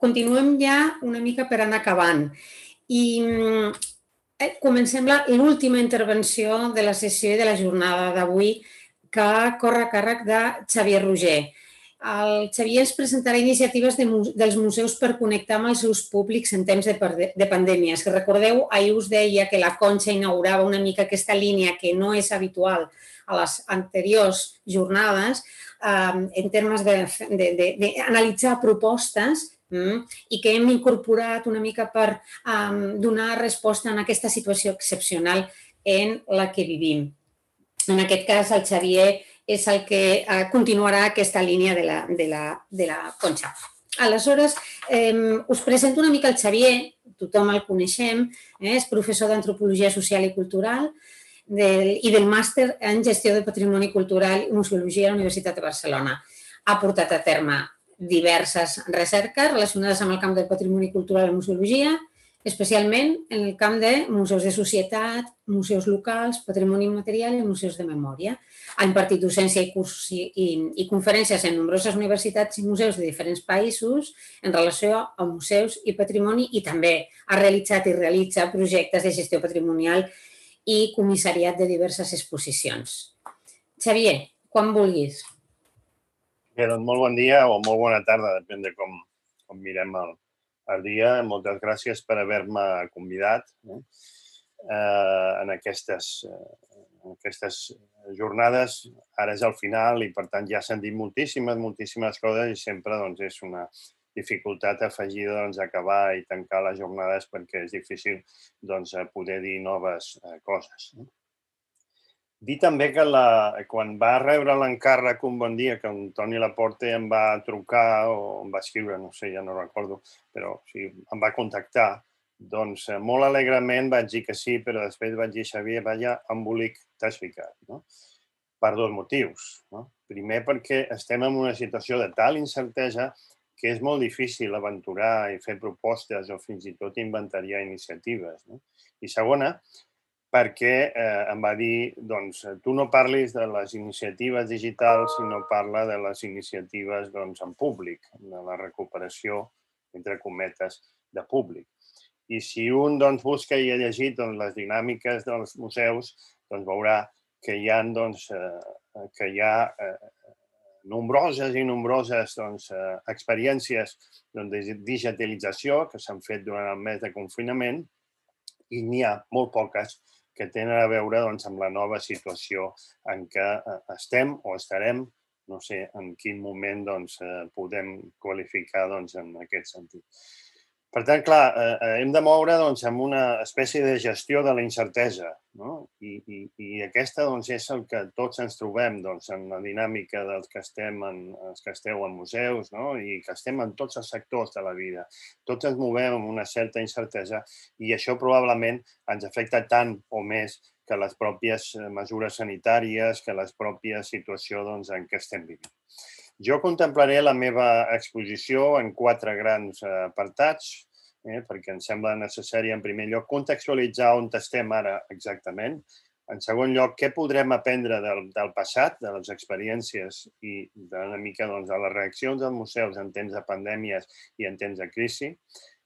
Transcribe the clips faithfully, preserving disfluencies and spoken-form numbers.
continuem ja una mica per anar acabant. I comencem l'última intervenció de la sessió i de la jornada d'avui, que corre a càrrec de Xavier Roger. El Xavier ens presentarà iniciatives dels museus per connectar amb els seus públics en temps de pandèmia. Si recordeu, ahir us deia que la Conxa inaugurava una mica aquesta línia que no és habitual a les anteriors jornades en termes d'analitzar propostes i que hem incorporat una mica per donar resposta a aquesta situació excepcional en la que vivim. En aquest cas, el Xavier és el que continuarà aquesta línia de la Conxa. Aleshores, us presento una mica el Xavier, tothom el coneixem, és professor d'Antropologia Social i Cultural i del màster en Gestió de Patrimoni Cultural i Museologia a la Universitat de Barcelona. Ha portat a terme diverses recerques relacionades amb el camp del patrimoni cultural i museologia, especialment en el camp de museus de societat, museus locals, patrimoni immaterial i museus de memòria. Ha impartit docència i cursos i conferències en nombroses universitats i museus de diferents països en relació a museus i patrimoni i també ha realitzat i realitza projectes de gestió patrimonial i comissariat de diverses exposicions. Xavier, quan vulguis. Bé, doncs molt bon dia o molt bona tarda, depèn de com mirem el dia. Moltes gràcies per haver-me convidat en aquestes jornades. Ara és el final i, per tant, ja s'han dit moltíssimes, moltíssimes coses i sempre és una dificultat afegida acabar i tancar les jornades perquè és difícil poder dir noves coses. Dir també que quan va rebre l'encàrrec un bon dia, que en Toni Laporte em va trucar o em va escriure, no sé, ja no recordo, però em va contactar, doncs molt alegrement vaig dir que sí, però després vaig dir, Xavier, vaja embolic t'has ficat, per dos motius. Primer, perquè estem en una situació de tal incertesa que és molt difícil aventurar i fer propostes o fins i tot inventariar iniciatives. I segona, perquè em va dir, doncs, tu no parlis de les iniciatives digitals, sinó parla de les iniciatives en públic, de la recuperació, entre cometes, de públic. I si un busca i ha llegit les dinàmiques dels museus, veurà que hi ha nombroses i nombroses experiències de digitalització que s'han fet durant el mes de confinament i n'hi ha molt poques que tenen a veure amb la nova situació en què estem o estarem, no sé en quin moment podem qualificar en aquest sentit. Per tant, clar, hem de moure amb una espècie de gestió de la incertesa i aquesta és el que tots ens trobem en la dinàmica dels que esteu en museus i que estem en tots els sectors de la vida. Tots ens movem amb una certa incertesa i això probablement ens afecta tant o més que les pròpies mesures sanitàries, que la pròpia situació en què estem vivint. Jo contemplaré la meva exposició en quatre grans apartats, perquè em sembla necessari, en primer lloc, contextualitzar on estem ara exactament. En segon lloc, què podrem aprendre del passat, de les experiències i una mica de les reaccions dels museus en temps de pandèmies i en temps de crisi.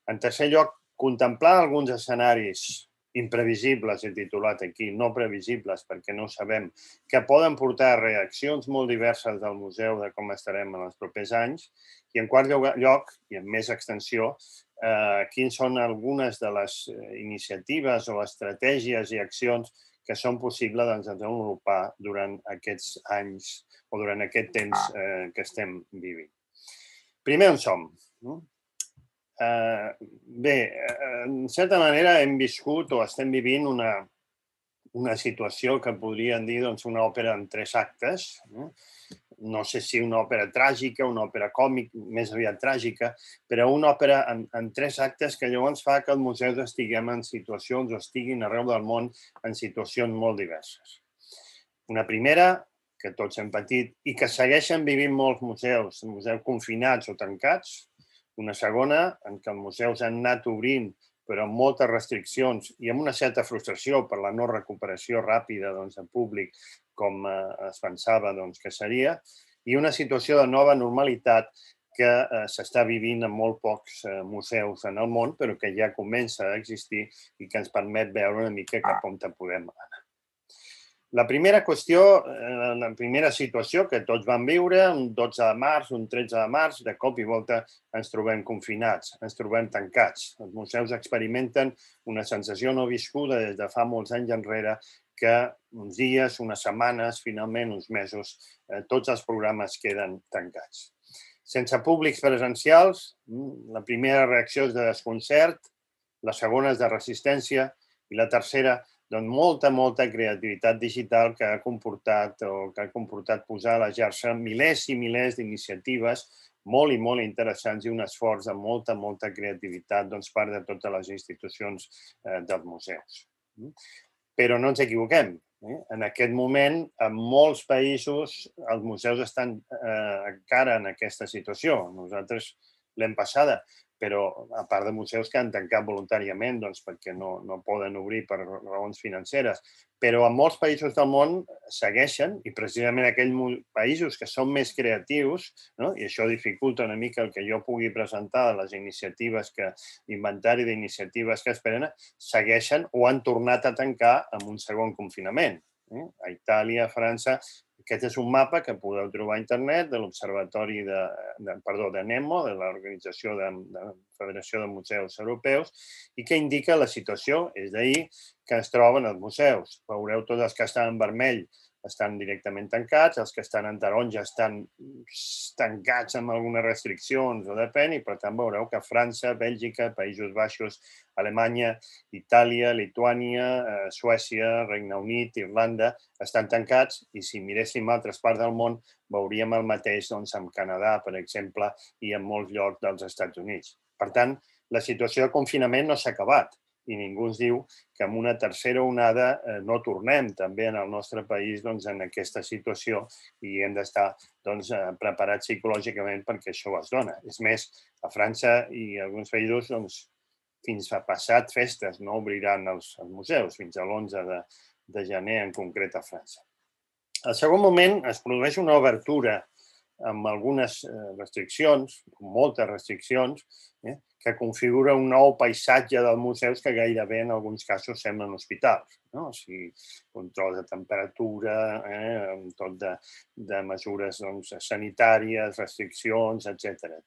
En tercer lloc, contemplar alguns escenaris imprevisibles, he titulat aquí, no previsibles, perquè no ho sabem, que poden portar a reaccions molt diverses del museu de com estarem en els propers anys. I en quart lloc, i amb més extensió, quines són algunes de les iniciatives o estratègies i accions que són possibles de desenvolupar durant aquests anys o durant aquest temps que estem vivint. Primer, on som? Bé, en certa manera hem viscut o estem vivint una situació que podríem dir una òpera en tres actes. No sé si una òpera tràgica, una òpera còmica, més aviat tràgica, però una òpera en tres actes que llavors fa que els museus estiguem en situacions o estiguin arreu del món en situacions molt diverses. Una primera, que tots hem patit i que segueixen vivint molts museus, museus confinats o tancats. Una segona, en què els museus han anat obrint, però amb moltes restriccions i amb una certa frustració per la no recuperació ràpida del públic com es pensava que seria, i una situació de nova normalitat que s'està vivint en molt pocs museus en el món, però que ja comença a existir i que ens permet veure una mica cap on podem anar. La primera qüestió, la primera situació que tots vam viure, un dotze de març, un tretze de març, de cop i volta ens trobem confinats, ens trobem tancats. Els museus experimenten una sensació no viscuda des de fa molts anys enrere que uns dies, unes setmanes, finalment uns mesos, tots els programes queden tancats. Sense públics presencials, la primera reacció és de desconcert, la segona és de resistència i la tercera doncs molta, molta creativitat digital que ha comportat o que ha comportat posar a la xarxa milers i milers d'iniciatives molt i molt interessants i un esforç de molta, molta creativitat doncs, part de totes les institucions dels museus. Però no ens equivoquem. En aquest moment, en molts països, els museus estan encara en aquesta situació. Nosaltres l'hem passada, però a part de museus que han tancat voluntàriament perquè no poden obrir per raons financeres. Però en molts països del món segueixen, i precisament aquells països que són més creatius, i això dificulta una mica el que jo pugui presentar de les iniciatives, l'inventari d'iniciatives que es prenen, segueixen o han tornat a tancar amb un segon confinament. A Itàlia, a França. Aquest és un mapa que podeu trobar a internet de l'Observatori de, perdó, de NEMO, de l'Organització de la Federació de Museus Europeus, i que indica la situació, és d'ahir, que es troben els museus. Veureu tots els que estan en vermell estan directament tancats, els que estan en taronja estan tancats amb algunes restriccions, o depèn, i per tant veureu que França, Bèlgica, Països Baixos, Alemanya, Itàlia, Lituània, Suècia, Regne Unit, Irlanda, estan tancats, i si miréssim altres parts del món veuríem el mateix amb Canadà, per exemple, i en molts llocs dels Estats Units. Per tant, la situació de confinament no s'ha acabat, i ningú ens diu que amb una tercera onada no tornem també en el nostre país en aquesta situació i hem d'estar preparats psicològicament perquè això es dona. És més, a França i alguns països fins a passat festes no obriran els museus, fins a l'onze de gener en concret a França. Al segon moment es produeix una obertura amb algunes restriccions, moltes restriccions, que configura un nou paisatge dels museus que gairebé en alguns casos semblen hospitals. O sigui, control de temperatura, tot de mesures sanitàries, restriccions, etcètera.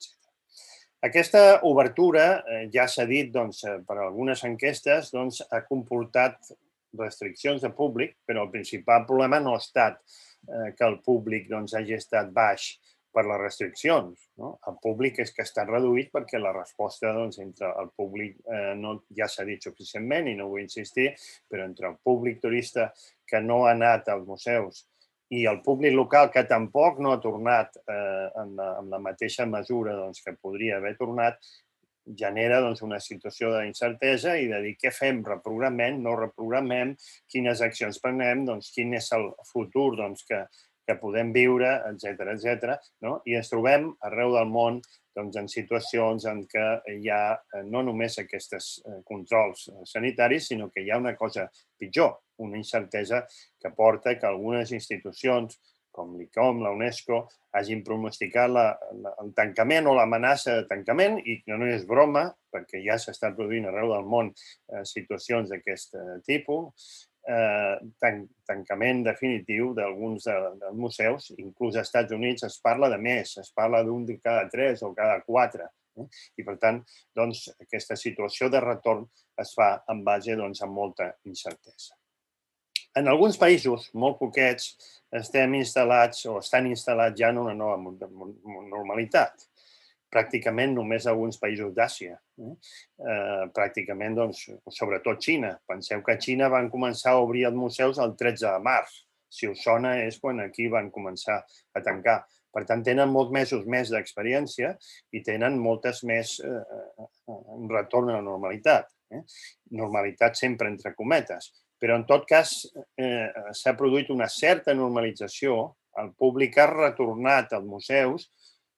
Aquesta obertura, ja s'ha dit per algunes enquestes, ha comportat restriccions de públic, però el principal problema no ha estat que el públic hagi estat baix per les restriccions. El públic és que està reduït perquè la resposta entre el públic, ja s'ha dit suficientment i no vull insistir, però entre el públic turista que no ha anat als museus i el públic local que tampoc no ha tornat en la mateixa mesura que podria haver tornat, genera una situació d'incertesa i de dir què fem, reprogramem, no reprogramem, quines accions prenem, quin és el futur que que podem viure, etcètera, etcètera. I ens trobem arreu del món en situacions en què hi ha no només aquests controls sanitaris, sinó que hi ha una cosa pitjor, una incertesa que porta que algunes institucions, com l'I C O M, la UNESCO, hagin pronosticat el tancament o l'amenaça de tancament, i no és broma, perquè ja s'està produint arreu del món situacions d'aquest tipus, tancament definitiu d'alguns dels museus, inclús als Estats Units es parla de més, es parla d'un de cada tres o cada quatre. I, per tant, aquesta situació de retorn es fa en base a molta incertesa. En alguns països, molt poquets, estem instal·lats o estan instal·lats ja en una nova normalitat. Pràcticament només alguns països d'Àsia. Pràcticament, sobretot Xina. Penseu que a Xina van començar a obrir els museus el tretze de març. Si us sona, és quan aquí van començar a tancar. Per tant, tenen molts mesos més d'experiència i tenen moltes més retorn a la normalitat. Normalitat sempre entre cometes. Però, en tot cas, s'ha produït una certa normalització. El públic ha retornat als museus,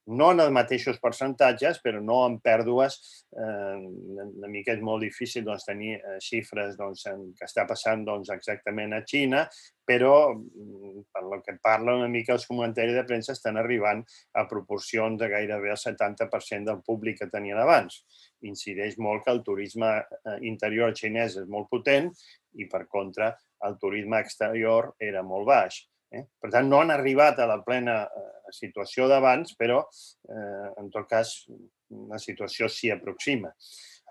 no en els mateixos percentatges, però no en pèrdues. Una mica és molt difícil tenir xifres que està passant exactament a Xina, però per el que parla una mica els comentaris de premsa estan arribant a proporcions de gairebé el setanta per cent del públic que tenien abans. Incideix molt que el turisme interior xinès és molt potent i, per contra, el turisme exterior era molt baix. Per tant, no han arribat a la plena situació d'abans, però, en tot cas, la situació s'hi aproxima.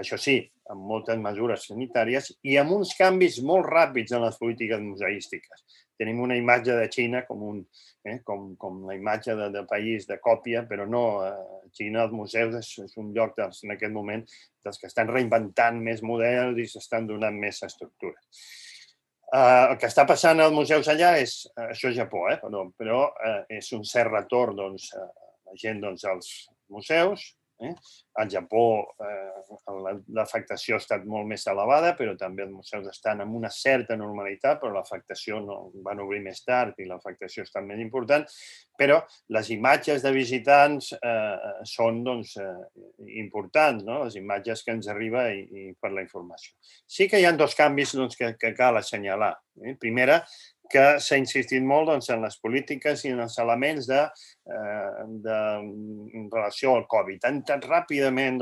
Això sí, amb moltes mesures sanitàries i amb uns canvis molt ràpids en les polítiques museístiques. Tenim una imatge de Xina com la imatge de país de còpia, però no. Xina, els museus, és un lloc en aquest moment dels que estan reinventant més models i s'estan donant més estructures. El que està passant als museus allà és, això és Japó, però és un cert retorn la gent als museus. Al Japó l'afectació ha estat molt més elevada, però també els museus estan en una certa normalitat, però l'afectació van obrir més tard i l'afectació ha estat més important. Però les imatges de visitants són importants, les imatges que ens arriben per la informació. Sí que hi ha dos canvis que cal assenyalar. Primera, que s'ha insistit molt en les polítiques i en els elements en relació al Covid. Han entrat ràpidament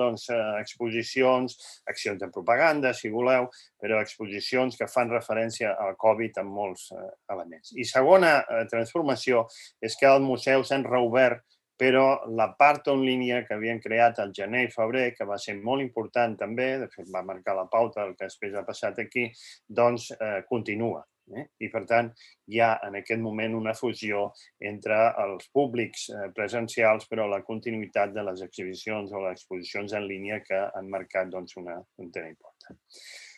exposicions, accions de propaganda, si voleu, però exposicions que fan referència al Covid en molts elements. I segona transformació és que els museus s'han reobert, però la part en línia que havien creat al gener i febrer, que va ser molt important també, de fet va marcar la pauta del que després ha passat aquí, doncs continua. I, per tant, hi ha en aquest moment una fusió entre els públics presencials, però la continuïtat de les exhibicions o les exposicions en línia que han marcat un tema important.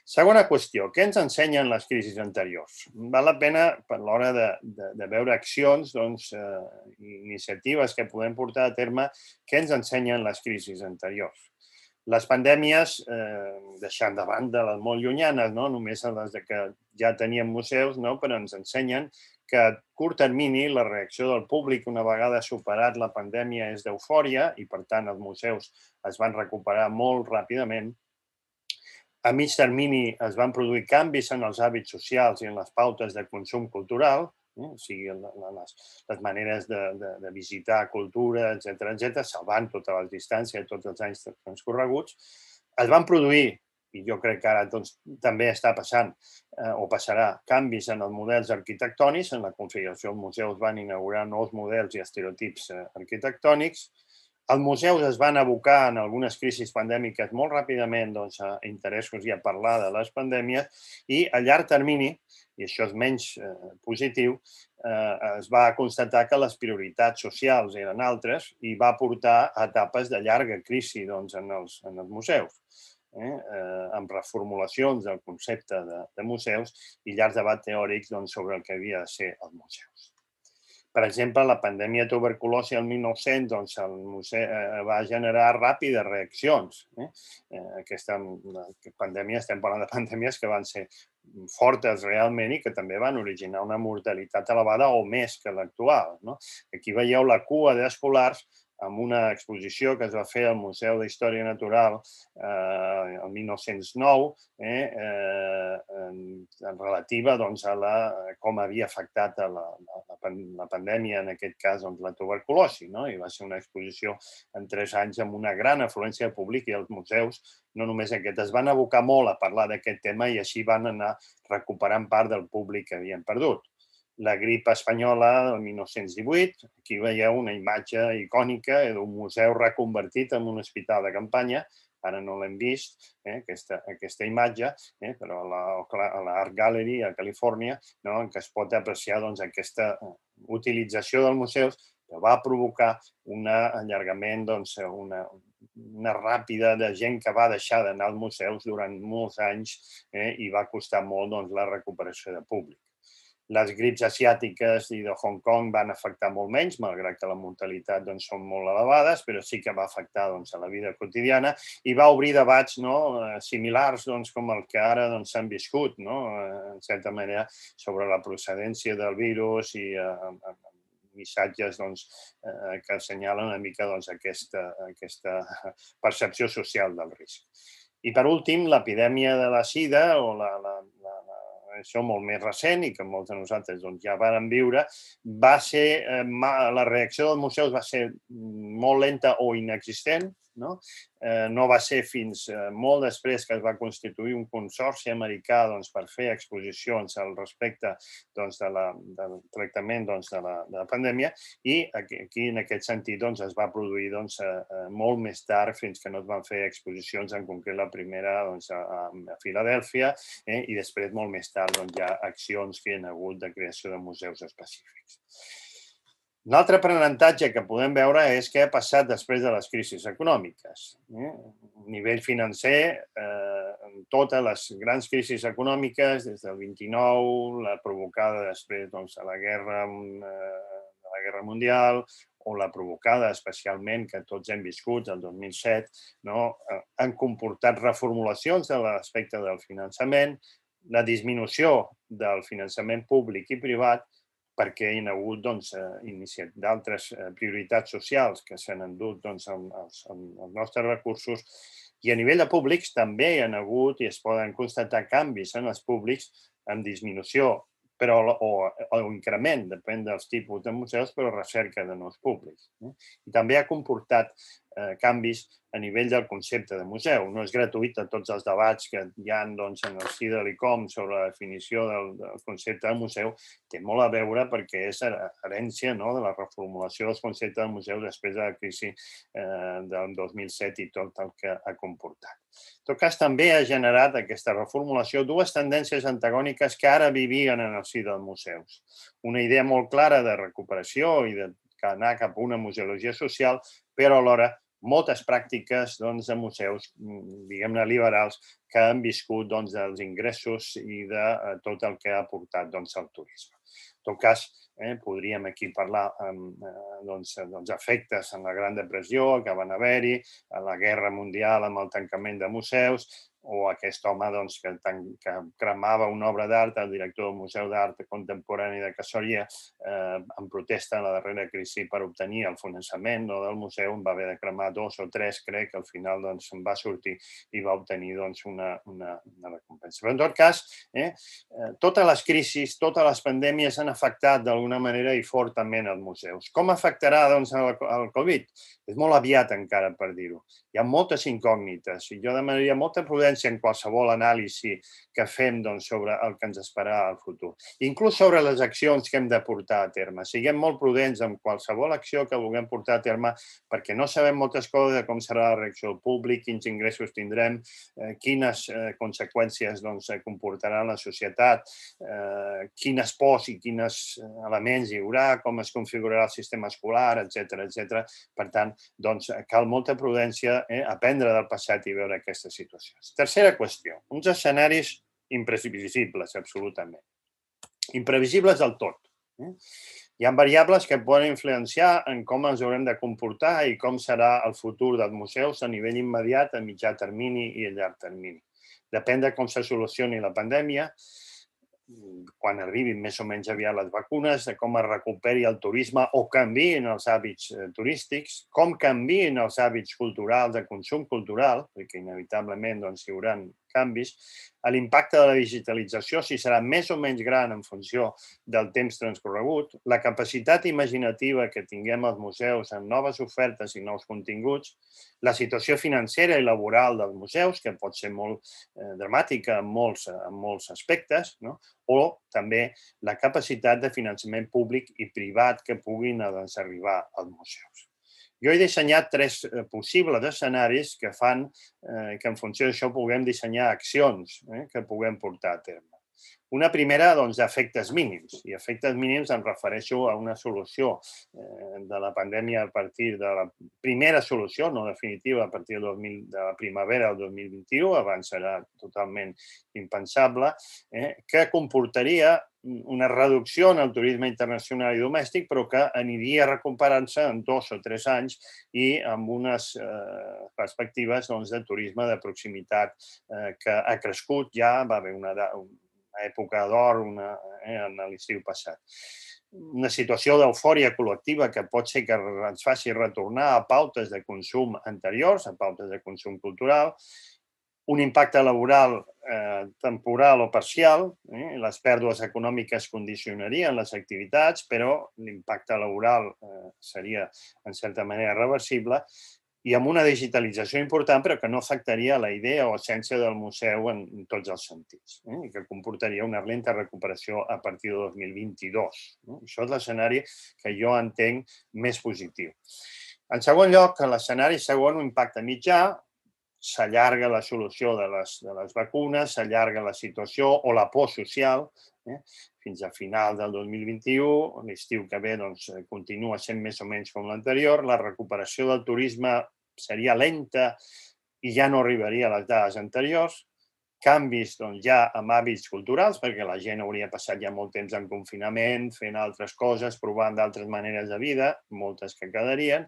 Segona qüestió, què ens ensenyen les crisis anteriors? Val la pena, per l'hora de veure accions i iniciatives que podem portar a terme, què ens ensenyen les crisis anteriors? Les pandèmies, deixant de banda les molt llunyanes, només les que ja teníem museus, però ens ensenyen que a curt termini la reacció del públic una vegada superat la pandèmia és d'eufòria i, per tant, els museus es van recuperar molt ràpidament. A mig termini es van produir canvis en els hàbits socials i en les pautes de consum cultural, o sigui, les maneres de visitar cultura, etcètera, salvant totes les distàncies, tots els anys transcorreguts. Es van produir, i jo crec que ara també està passant o passarà, canvis en els models arquitectònics. En la configuració dels museus van inaugurar nous models i estereotips arquitectònics. Els museus es van abocar en algunes crisis pandèmiques molt ràpidament a interessos i a parlar de les pandèmies i a llarg termini, i això és menys positiu, es va constatar que les prioritats socials eren altres i va portar a etapes de llarga crisi en els museus, amb reformulacions del concepte de museus i llargs debats teòrics sobre el que havia de ser els museus. Per exemple, la pandèmia de tuberculosi el mil nou-cents va generar ràpides reaccions. Aquesta pandèmia, estem parlant de pandèmies que van ser fortes realment i que també van originar una mortalitat elevada o més que l'actual. Aquí veieu la cua d'escolars amb una exposició que es va fer al Museu d'Història Natural el mil nou-cents nou, relativa a com havia afectat la pandèmia, en aquest cas la tuberculosi. I va ser una exposició en tres anys amb una gran afluència de públic i els museus, no només aquest, es van abocar molt a parlar d'aquest tema i així van anar recuperant part del públic que havien perdut. La grip espanyola del mil nou-cents divuit, aquí veieu una imatge icònica d'un museu reconvertit en un hospital de campanya, ara no l'hem vist, aquesta imatge, però a l'Art Gallery a Califòrnia, en què es pot apreciar aquesta utilització dels museus que va provocar un allargament, una ràpida de gent que va deixar d'anar als museus durant molts anys i va costar molt la recuperació de públic. Les grips asiàtiques i de Hong Kong van afectar molt menys, malgrat que la mortalitat són molt elevades, però sí que va afectar a la vida quotidiana i va obrir debats similars com el que ara s'han viscut, en certa manera, sobre la procedència del virus i missatges que assenyalen una mica aquesta percepció social del risc. I, per últim, l'epidèmia de la sida, o això molt més recent i que molts de nosaltres ja vàrem viure, va ser, la reacció dels museus va ser molt lenta o inexistent. No va ser fins molt després que es va constituir un consorci americà per fer exposicions al respecte del tractament de la pandèmia, i aquí, en aquest sentit, es va produir molt més tard, fins que no es van fer exposicions, en concret la primera a Filadèlfia, i després, molt més tard, hi ha accions que hi ha hagut de creació de museus específics. Un altre aprenentatge que podem veure és què ha passat després de les crisis econòmiques. A nivell financer, totes les grans crisis econòmiques, des del vint-i-nou, la provocada després de la Guerra Mundial, o la provocada especialment, que tots hem viscut, el dos mil set, han comportat reformulacions de l'aspecte del finançament, la disminució del finançament públic i privat, perquè hi ha hagut d'altres prioritats socials que s'han endut els nostres recursos, i a nivell de públics també hi ha hagut i es poden constatar canvis en els públics amb disminució o increment, depèn dels tipus de museus, però recerca de nous públics. I també ha comportat canvis a nivell del concepte de museu. No és gratuït a tots els debats que hi ha en el si de l'I C O M sobre la definició del concepte de museu. Té molt a veure perquè és herència de la reformulació dels conceptes de museu després de la crisi del dos mil set i tot el que ha comportat. En tot cas, també ha generat aquesta reformulació dues tendències antagòniques que ara vivien en el si dels museus. Una idea molt clara de recuperació i d'anar cap a una museologia social, però alhora moltes pràctiques de museus, diguem-ne, liberals, que han viscut dels ingressos i de tot el que ha aportat el turisme. En tot cas, podríem aquí parlar dels efectes en la Gran Depressió que van haver-hi, a la Guerra Mundial amb el tancament de museus, o aquest home que cremava una obra d'art, el director del Museu d'Art Contemporani de Cassòria, en protesta a la darrera crisi per obtenir el finançament del museu, va haver de cremar dos o tres, crec, que al final se'n va sortir i va obtenir una recompensa. Però, en tot cas, totes les crisis, totes les pandèmies han afectat d'alguna manera i fortament els museus. Com afectarà el Covid? És molt aviat encara per dir-ho. Hi ha moltes incògnites i jo demanaria molta prudència en qualsevol anàlisi que fem sobre el que ens esperarà al futur. Inclús sobre les accions que hem de portar a terme. Siguem molt prudents en qualsevol acció que vulguem portar a terme perquè no sabem moltes coses de com serà la reacció del públic, quins ingressos tindrem, quines conseqüències comportarà la societat, quines pors i quins elements hi haurà, com es configurarà el sistema escolar, etcètera, etcètera. Per tant, cal molta prudència, aprendre del passat i veure aquestes situacions. Tercera qüestió, uns escenaris imprevisibles, absolutament. Imprevisibles del tot. Hi ha variables que poden influenciar en com ens haurem de comportar i com serà el futur dels museus a nivell immediat, a mitjà termini i a llarg termini. Depèn de com se solucioni la pandèmia, quan arribin més o menys aviat les vacunes, de com es recuperi el turisme o canviïn els hàbits turístics, com canviïn els hàbits culturals, de consum cultural, perquè inevitablement hi haurà canvis, l'impacte de la digitalització, si serà més o menys gran en funció del temps transcorregut, la capacitat imaginativa que tinguem als museus en noves ofertes i nous continguts, la situació financera i laboral dels museus, que pot ser molt dramàtica en molts aspectes, o també la capacitat de finançament públic i privat que puguin arribar als museus. Jo he dissenyat tres possibles escenaris que fan que en funció d'això puguem dissenyar accions que puguem portar a terme. Una primera, doncs, d'efectes mínims. I efectes mínims em refereixo a una solució de la pandèmia a partir de la primera solució, no definitiva, a partir de la primavera del dos mil vint-i-u, abans serà totalment impensable, que comportaria una reducció en el turisme internacional i domèstic, però que aniria recuperant-se en dos o tres anys i amb unes perspectives de turisme de proximitat que ha crescut ja, va haver una època d'or en l'estiu passat. una situació d'eufòria col·lectiva que pot ser que ens faci retornar a pautes de consum anteriors, a pautes de consum cultural, un impacte laboral eh, temporal o parcial, eh? Les pèrdues econòmiques condicionarien les activitats, però l'impacte laboral eh, seria, en certa manera, reversible, i amb una digitalització important, però que no afectaria la idea o essència del museu en, en tots els sentits, eh? I que comportaria una lenta recuperació a partir de dos mil vint-i-dos. Eh? Això és l'escenari que jo entenc més positiu. En segon lloc, l'escenari segon, un impacte mitjà, s'allarga la solució de les, de les vacunes, s'allarga la situació o la por social, eh? Fins a final del dos mil vint-i-u, l'estiu que ve doncs, continua sent més o menys com l'anterior, la recuperació del turisme seria lenta i ja no arribaria a les dades anteriors, canvis doncs, ja amb hàbits culturals, perquè la gent hauria passat ja molt temps en confinament, fent altres coses, provant d'altres maneres de vida, moltes que quedarien,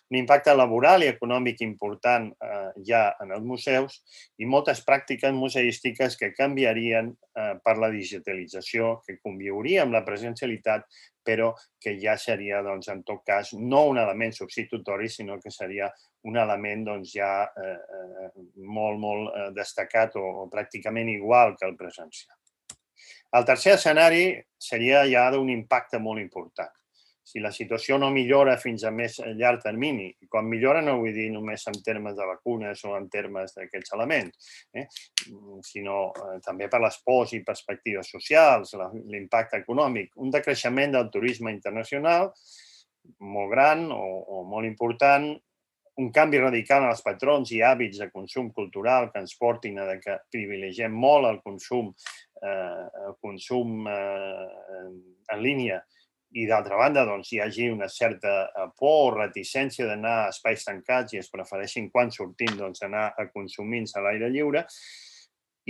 un impacte laboral i econòmic important eh, ja en els museus i moltes pràctiques museístiques que canviarien eh, per la digitalització, que conviuria amb la presencialitat, però que ja seria, doncs, en tot cas, no un element substitutori, sinó que seria un element doncs, ja eh, molt, molt eh, destacat o, o pràcticament igual que el presencial. El tercer escenari seria ja d'un impacte molt important. Si la situació no millora fins a més llarg termini, i quan millora no vull dir només en termes de vacunes o en termes d'aquests elements, eh? sinó eh, també per les pors i perspectives socials, l'impacte econòmic, un decreixement del turisme internacional molt gran o, o molt important, un canvi radical en els patrons i hàbits de consum cultural que ens portin a que privilegiem molt el consum, eh, el consum eh, en línia, i d'altra banda doncs, hi hagi una certa por o reticència d'anar a espais tancats i es prefereixin quan sortim doncs, anar a consumir-se a l'aire lliure.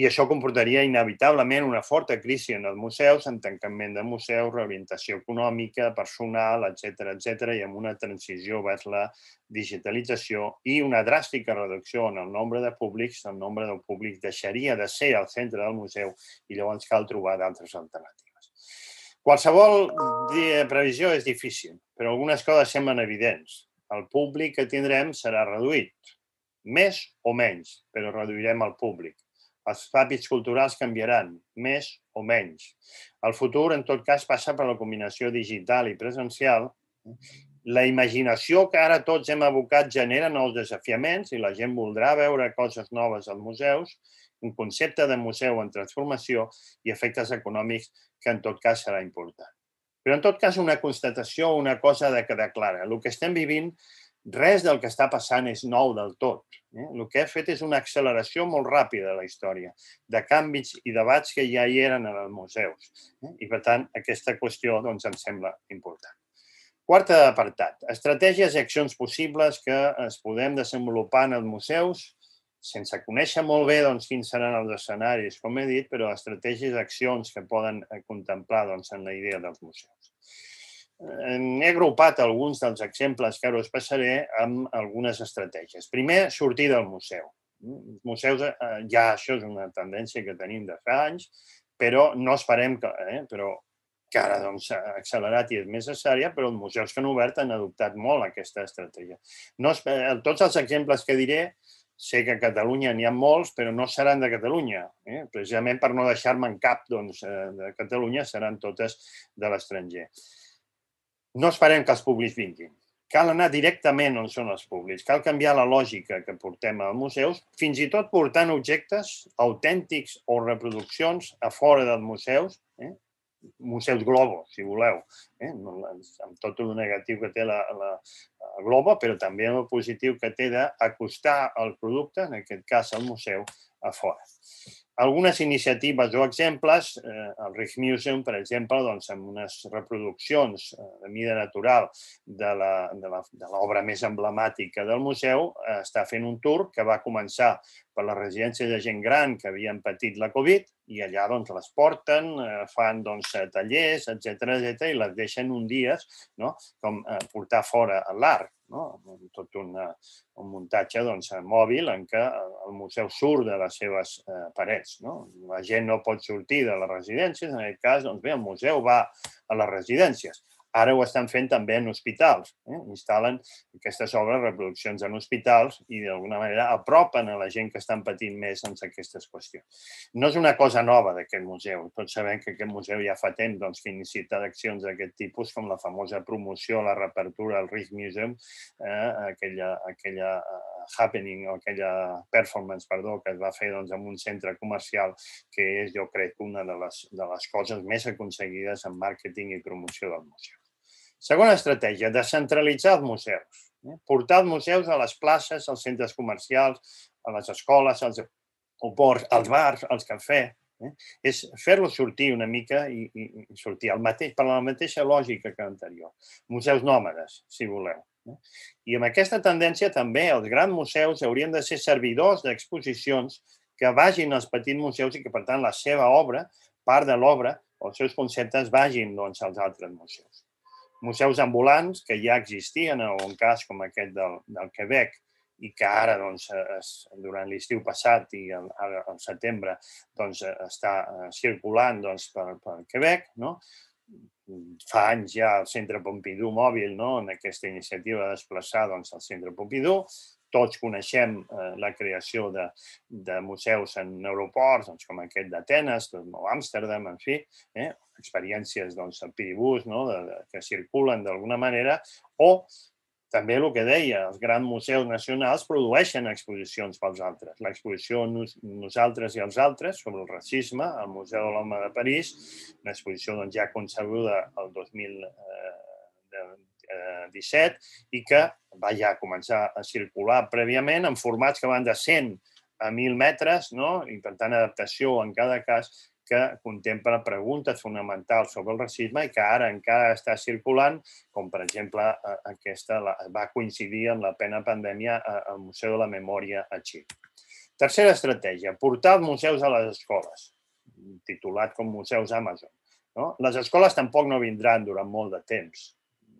I això comportaria inevitablement una forta crisi en els museus, en tancament de museus, reorientació econòmica, personal, etcètera, etcètera, i amb una transició vers la digitalització i una dràstica reducció en el nombre de públics. El nombre de públics deixaria de ser al centre del museu i llavors cal trobar d'altres alternatives. Qualsevol previsió és difícil, però algunes coses semblen evidents. El públic que tindrem serà reduït, més o menys, però reduirem el públic. Els hàbits culturals canviaran, més o menys. El futur, en tot cas, passa per la combinació digital i presencial. La imaginació que ara tots hem abocat genera nous desafiaments i la gent voldrà veure coses noves als museus, un concepte de museu en transformació i efectes econòmics que en tot cas serà important. Però en tot cas una constatació, una cosa de quedar clara. El que estem vivint, res del que està passant és nou del tot. Eh? El que ha fet és una acceleració molt ràpida de la història, de canvis i debats que ja hi eren en els museus. Eh? I per tant, aquesta qüestió doncs, em sembla important. Quart apartat, estratègies i accions possibles que es podem desenvolupar en els museus sense conèixer molt bé doncs, quins seran els escenaris, com he dit, però estratègies i accions que poden contemplar doncs, en la idea dels museus. He agrupat alguns dels exemples que ara us passaré amb algunes estratègies. Primer, sortir del museu. Els museus, ja això és una tendència que tenim de fa anys, però no esperem que, eh, però que ara doncs, s'ha accelerat i és més necessària, però els museus que han obert han adoptat molt aquesta estratègia. No, tots els exemples que diré, sé que a Catalunya n'hi ha molts, però no seran de Catalunya. Eh? Precisament per no deixar-me'n cap doncs, de Catalunya, seran totes de l'estranger. No esperem que els públics vinguin. Cal anar directament on són els públics. Cal canviar la lògica que portem als museus, fins i tot portant objectes autèntics o reproduccions a fora dels museus, eh? Museus Globo, si voleu, eh? amb tot el negatiu que té la, la, la Globo, però també el positiu que té d'acostar el producte, en aquest cas el museu, a fora. Algunes iniciatives o exemples, eh, el Rijksmuseum, per exemple, doncs, amb unes reproduccions de mida natural de l'obra més emblemàtica del museu, eh, està fent un tour que va començar per les residències de gent gran que havien patit la Covid i allà doncs, les porten, eh, fan doncs, tallers, etcètera, etcètera, i les deixen un dia, no? Com eh, portar fora l'art. tot un muntatge mòbil en què el museu surt de les seves parets. La gent no pot sortir de les residències, en aquest cas, doncs bé, el museu va a les residències. Ara ho estan fent també en hospitals. Instal·len aquestes obres, reproduccions en hospitals i d'alguna manera apropen a la gent que estan patint més en aquestes qüestions. No és una cosa nova d'aquest museu. Tots sabem que aquest museu ja fa temps que inicia accions d'aquest tipus, com la famosa promoció, la reapertura al Rijksmuseum, aquella happening o aquella performance, perdó, que es va fer en un centre comercial, que és, jo crec, una de les coses més aconseguides en màrqueting i promoció del museu. Segona estratègia, descentralitzar els museus. Portar els museus a les places, als centres comercials, a les escoles, als aeroports, als bars, als cafès. És fer-los sortir una mica i sortir per la mateixa lògica que l'anterior. Museus nòmades, si voleu. I amb aquesta tendència també els grans museus haurien de ser servidors d'exposicions que vagin als petits museus i que, per tant, la seva obra, part de l'obra, els seus conceptes vagin als altres museus. Museus ambulants que ja existien en un cas com aquest del Quebec i que ara, durant l'estiu passat i al setembre, està circulant per Quebec. Fa anys ja el Centre Pompidou mòbil, en aquesta iniciativa de desplaçar al Centre Pompidou. Tots coneixem la creació de museus en aeroports, com aquest d'Atenes, o Amsterdam, en fi, experiències al Piribús que circulen d'alguna manera, o també el que deia, els grans museus nacionals produeixen exposicions pels altres. L'exposició Nosaltres i els altres sobre el racisme al Museu de l'Home de París, una exposició ja concebuda el dos mil disset i que va ja començar a circular prèviament en formats que van de cent a mil metres i, per tant, adaptació en cada cas que contempla preguntes fonamentals sobre el racisme i que ara encara està circulant, com per exemple aquesta va coincidir amb la plena pandèmia al Museu de la Memòria a Xile. Tercera estratègia, portar els museus a les escoles, titulat com Museus Amazon. Les escoles tampoc no vindran durant molt de temps.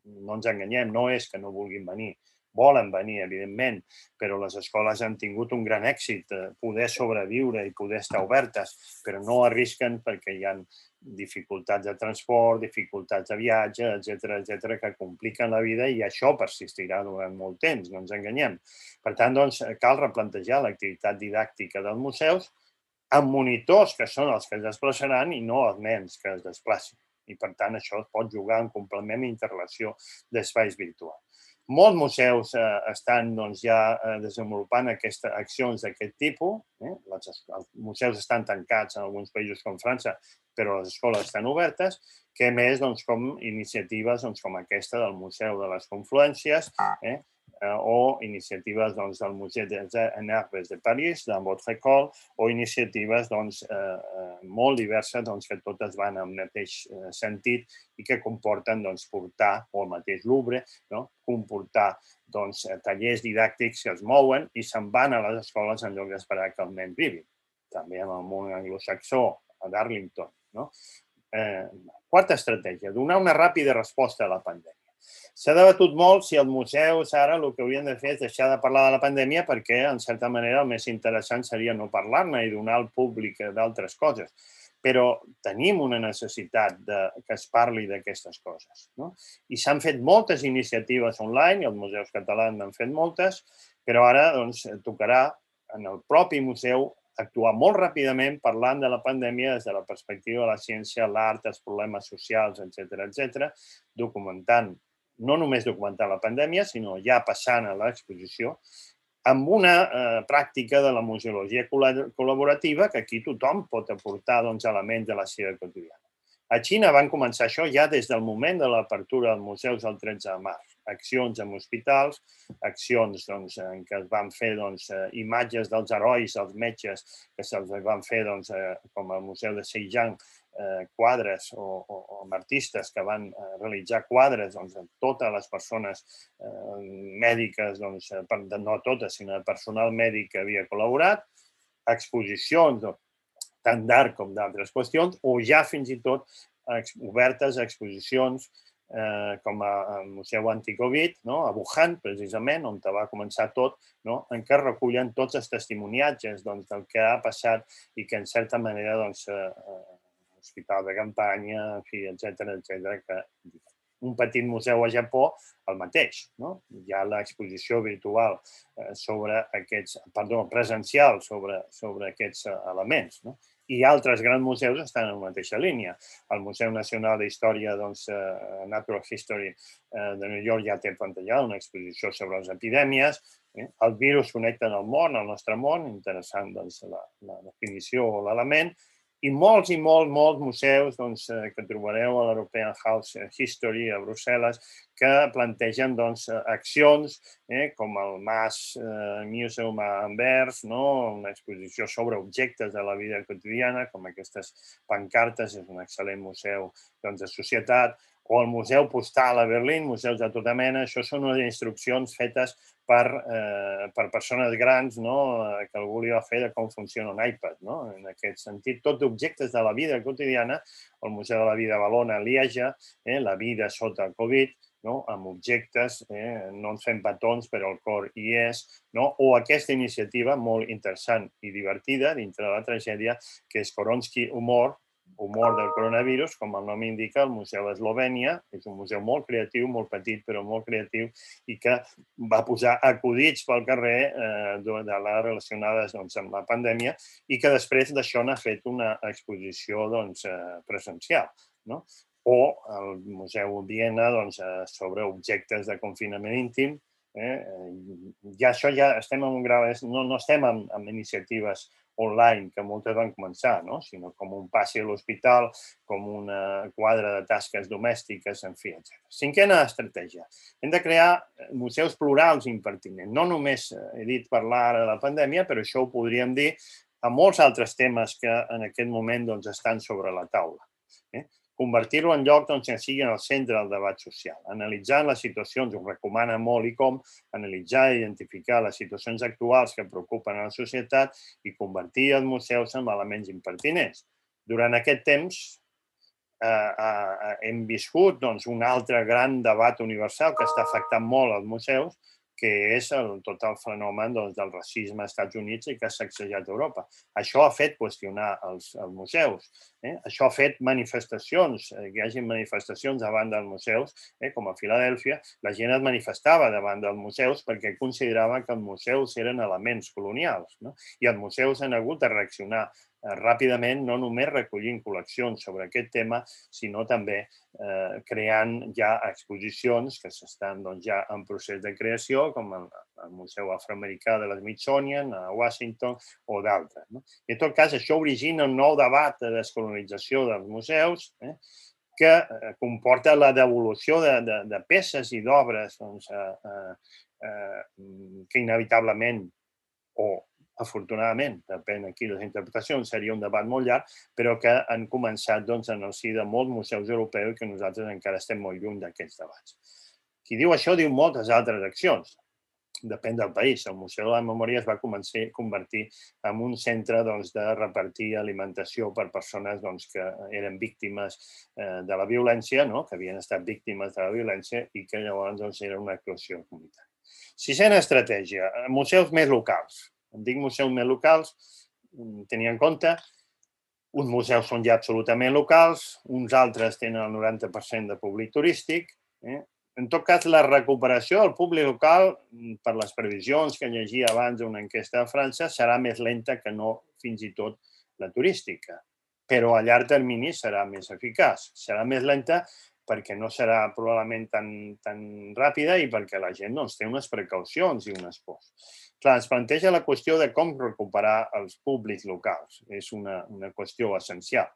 No ens enganyem, no és que no vulguin venir. Volen venir, evidentment, però les escoles han tingut un gran èxit, poder sobreviure i poder estar obertes, però no arrisquen perquè hi ha dificultats de transport, dificultats de viatge, etcètera, etcètera, que compliquen la vida i això persistirà durant molt temps, no ens enganyem. Per tant, cal replantejar l'activitat didàctica dels museus amb monitors que són els que es desplaçaran i no els nens que es desplacin. I, per tant, això es pot jugar en complement i interrelació d'espais virtuals. Molts museus estan ja desenvolupant aquestes accions d'aquest tipus. Els museus estan tancats en alguns països com França, però les escoles estan obertes, que a més com iniciatives com aquesta del Museu de les Confluències o iniciatives del Museu des Arts de París, de Votre-École, o iniciatives molt diverses que totes van en el mateix sentit i que comporten portar, o el mateix Louvre, comportar tallers didàctics que es mouen i se'n van a les escoles en lloc d'esperar que els nens vivin. També en el món anglosaxó, a Darlington. Quarta estratègia, donar una ràpida resposta a la pandèmia. S'ha debatut molt si els museus ara el que haurien de fer és deixar de parlar de la pandèmia perquè, en certa manera, el més interessant seria no parlar-ne i donar al públic d'altres coses. Però tenim una necessitat que es parli d'aquestes coses. I s'han fet moltes iniciatives online, i els museus catalans n'han fet moltes, però ara tocarà en el propi museu actuar molt ràpidament parlant de la pandèmia des de la perspectiva de la ciència, l'art, els problemes socials, etcètera, etcètera, documentant, no només documentant la pandèmia, sinó ja passant a l'exposició, amb una pràctica de la museologia col·laborativa que aquí tothom pot aportar elements de la seva quotidiana. A Xina van començar això ja des del moment de l'apertura dels museus el tretze de març. Accions en hospitals, accions en què es van fer imatges dels herois, els metges, que se'ls van fer com al Museu de Zhejiang, quadres o amb artistes que van realitzar quadres amb totes les persones mèdiques, no totes, sinó el personal mèdic que havia col·laborat, exposicions tant d'art com d'altres qüestions, o ja fins i tot obertes a exposicions com el Museu Anticovid, a Wuhan, precisament, on va començar tot, en què recullen tots els testimoniatges del que ha passat i que, en certa manera, l'hospital de campanya, etcètera, etcètera, que un petit museu a Japó, el mateix. Hi ha l'exposició virtual sobre aquests, perdó, presencial sobre aquests elements. I altres grans museus estan en la mateixa línia. El Museu Nacional d'Història, Natural History de New York ja té plantejada una exposició sobre les epidèmies. El virus connecta el món, el nostre món, interessant la definició o l'element. I molts i molts, molts museus que trobareu a l'European House History a Brussel·les que plantegen accions com el Mass Museum a Anvers, una exposició sobre objectes de la vida quotidiana, com aquestes pancartes, és un excel·lent museu de societat, o el Museu Postal a Berlín, museus de tota mena. Això són unes instruccions fetes per persones grans que algú li va fer de com funciona un iPad. En aquest sentit, tot objectes de la vida quotidiana, el Museu de la Vida a Valona, a Lieja, la vida sota el Covid, amb objectes, no ens fem petons, però el cor hi és, o aquesta iniciativa molt interessant i divertida dintre de la tragèdia, que és Koronski Humor, humor del coronavirus, com el nom indica, el Museu d'Eslovènia. És un museu molt creatiu, molt petit, però molt creatiu, i que va posar acudits pel carrer de les relacionades amb la pandèmia i que després d'això n'ha fet una exposició presencial. O el Museu Viena sobre objectes de confinament íntim. Ja això ja estem en un grau, no estem en iniciatives online, que moltes van començar, sinó com un passi a l'hospital, com una quadra de tasques domèstiques, en fi, etcètera. Cinquena estratègia. Hem de crear museus plurals i impertinents. No només he dit parlar ara de la pandèmia, però això ho podríem dir a molts altres temes que en aquest moment estan sobre la taula. Convertir-lo en lloc que sigui en el centre del debat social. Analitzar les situacions, ho recomana molt i com, analitzar i identificar les situacions actuals que preocupen a la societat i convertir els museus en elements impertinents. Durant aquest temps hem viscut un altre gran debat universal que està afectant molt els museus, que és tot el fenomen del racisme als Estats Units i que ha sacsejat Europa. Això ha fet qüestionar els museus. Això ha fet manifestacions, que hi hagi manifestacions davant dels museus, com a Filadèlfia. La gent es manifestava davant dels museus perquè considerava que els museus eren elements colonials. I els museus han hagut de reaccionar ràpidament, no només recollint col·leccions sobre aquest tema, sinó també creant ja exposicions que estan ja en procés de creació, com el Museu Afroamericà de l'Smithsonian a Washington o d'altres. En tot cas, això origina un nou debat de descolonització dels museus que comporta la devolució de peces i d'obres que inevitablement o afortunadament, depèn aquí les interpretacions, seria un debat molt llarg, però que han començat en el si de molts museus europeus i que nosaltres encara estem molt lluny d'aquests debats. Qui diu això diu moltes altres accions. Depèn del país. El Museu de la Memòria es va convertir en un centre de repartir alimentació per persones que eren víctimes de la violència, que havien estat víctimes de la violència i que llavors era una actuació comunitària. Sisena estratègia, museus més locals. Em dic museus més locals, tenint en compte, uns museus són ja absolutament locals, uns altres tenen el noranta per cent de públic turístic. En tot cas, la recuperació del públic local, per les previsions que llegia abans d'una enquesta de França, serà més lenta que no fins i tot la turística. Però a llarg termini serà més eficaç. Serà més lenta perquè no serà probablement tan ràpida i perquè la gent té unes precaucions i unes pors. Clar, es planteja la qüestió de com recuperar els públics locals. És una qüestió essencial.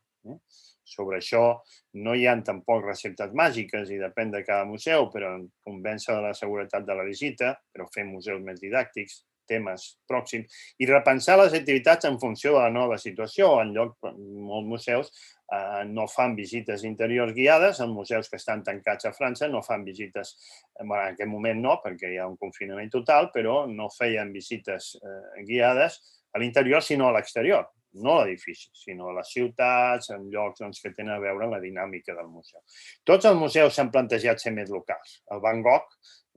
Sobre això no hi ha tampoc receptes màgiques i depèn de cada museu, però convèncer de la seguretat de la visita, però fer museus més didàctics, temes pròxims, i repensar les activitats en funció de la nova situació. En lloc, molts museus no fan visites interiors guiades, els museus que estan tancats a França no fan visites, en aquest moment no, perquè hi ha un confinament total, però no feien visites guiades a l'interior, sinó a l'exterior. no l'edifici, sinó les ciutats, en llocs doncs, que tenen a veure amb la dinàmica del museu. Tots els museus s'han plantejat ser més locals. El Van Gogh,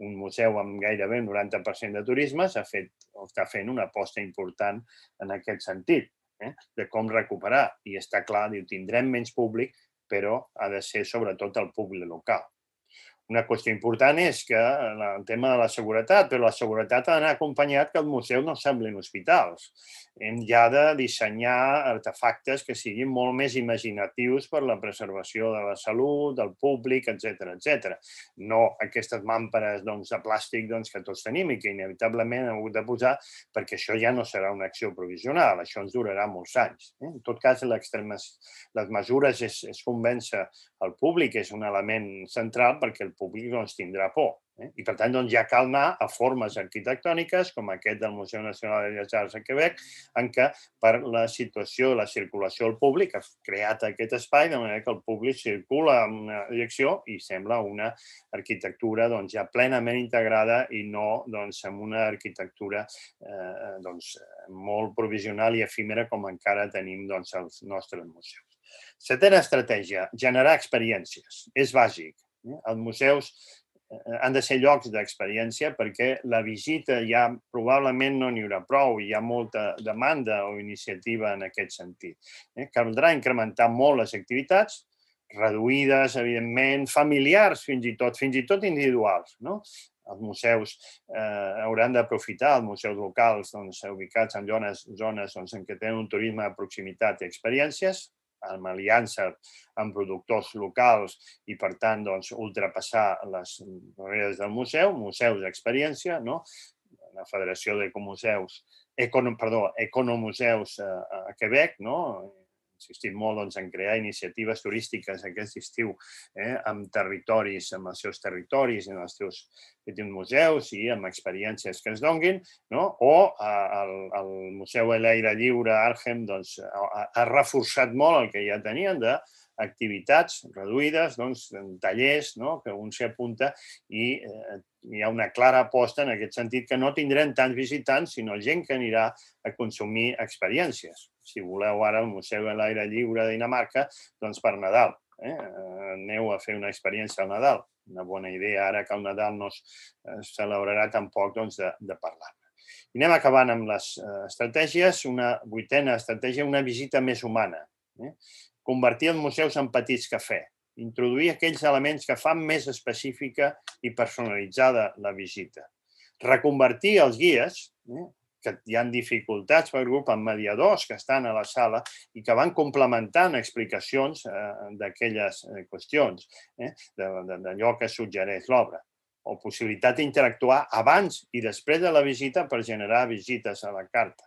un museu amb gairebé un noranta per cent de turisme, s'ha fet, o està fent una aposta important en aquest sentit, eh? de com recuperar. I està clar, diu, tindrem menys públic, però ha de ser sobretot el públic local. Una qüestió important és que el tema de la seguretat, però la seguretat ha d'anar acompanyat que els museus no semblin hospitals. Hem ja de dissenyar artefactes que siguin molt més imaginatius per la preservació de la salut, del públic, etcètera, etcètera. No aquestes màmperes doncs, de plàstic doncs, que tots tenim i que inevitablement hem hagut de posar perquè això ja no serà una acció provisional, això ens durarà molts anys. Eh? En tot cas, les mesures és, és convèncer el públic, és un element central perquè el públic doncs, tindrà por. Eh? I, per tant, doncs, ja cal anar a formes arquitectòniques, com aquest del Museu Nacional de Belles Arts a Quebec, en què per la situació, la circulació del públic, ha creat aquest espai de manera que el públic circula en una direcció i sembla una arquitectura doncs, ja plenament integrada i no doncs, amb una arquitectura eh, doncs, molt provisional i efímera com encara tenim doncs, als nostres museus. Setena estratègia, generar experiències. És bàsic. Els museus han de ser llocs d'experiència perquè la visita ja probablement no n'hi haurà prou, hi ha molta demanda o iniciativa en aquest sentit. Caldrà incrementar molt les activitats, reduïdes, evidentment, familiars fins i tot, fins i tot individuals. Els museus hauran d'aprofitar, els museus locals ubicats en zones en què tenen un turisme de proximitat i experiències, amb aliança amb productors locals i, per tant, ultrapassar les barreres del museu, museus d'experiència, la Federació d'Ecomuseus, perdó, Economuseus a Quebec, insistim molt en crear iniciatives turístiques aquest estiu amb territoris, amb els seus territoris, amb els seus museus i amb experiències que es donguin, o el Museu a l'aire lliure Arnhem ha reforçat molt el que ja tenien d'activitats reduïdes, tallers que un s'hi apunta i hi ha una clara aposta en aquest sentit que no tindrem tants visitants, sinó gent que anirà a consumir experiències. Si voleu ara el Museu a l'aire lliure de Dinamarca, doncs per Nadal. Aneu a fer una experiència al Nadal. Una bona idea ara que el Nadal no es celebrarà tampoc de parlar-ne. I anem acabant amb les estratègies. Una vuitena estratègia, una visita més humana. Convertir els museus en petits cafès. Introduir aquells elements que fan més específica i personalitzada la visita. Reconvertir els guies, que hi ha dificultats per grup amb mediadors que estan a la sala i que van complementant explicacions d'aquelles qüestions, d'allò que suggereix l'obra, o possibilitat d'interactuar abans i després de la visita per generar visites a la carta.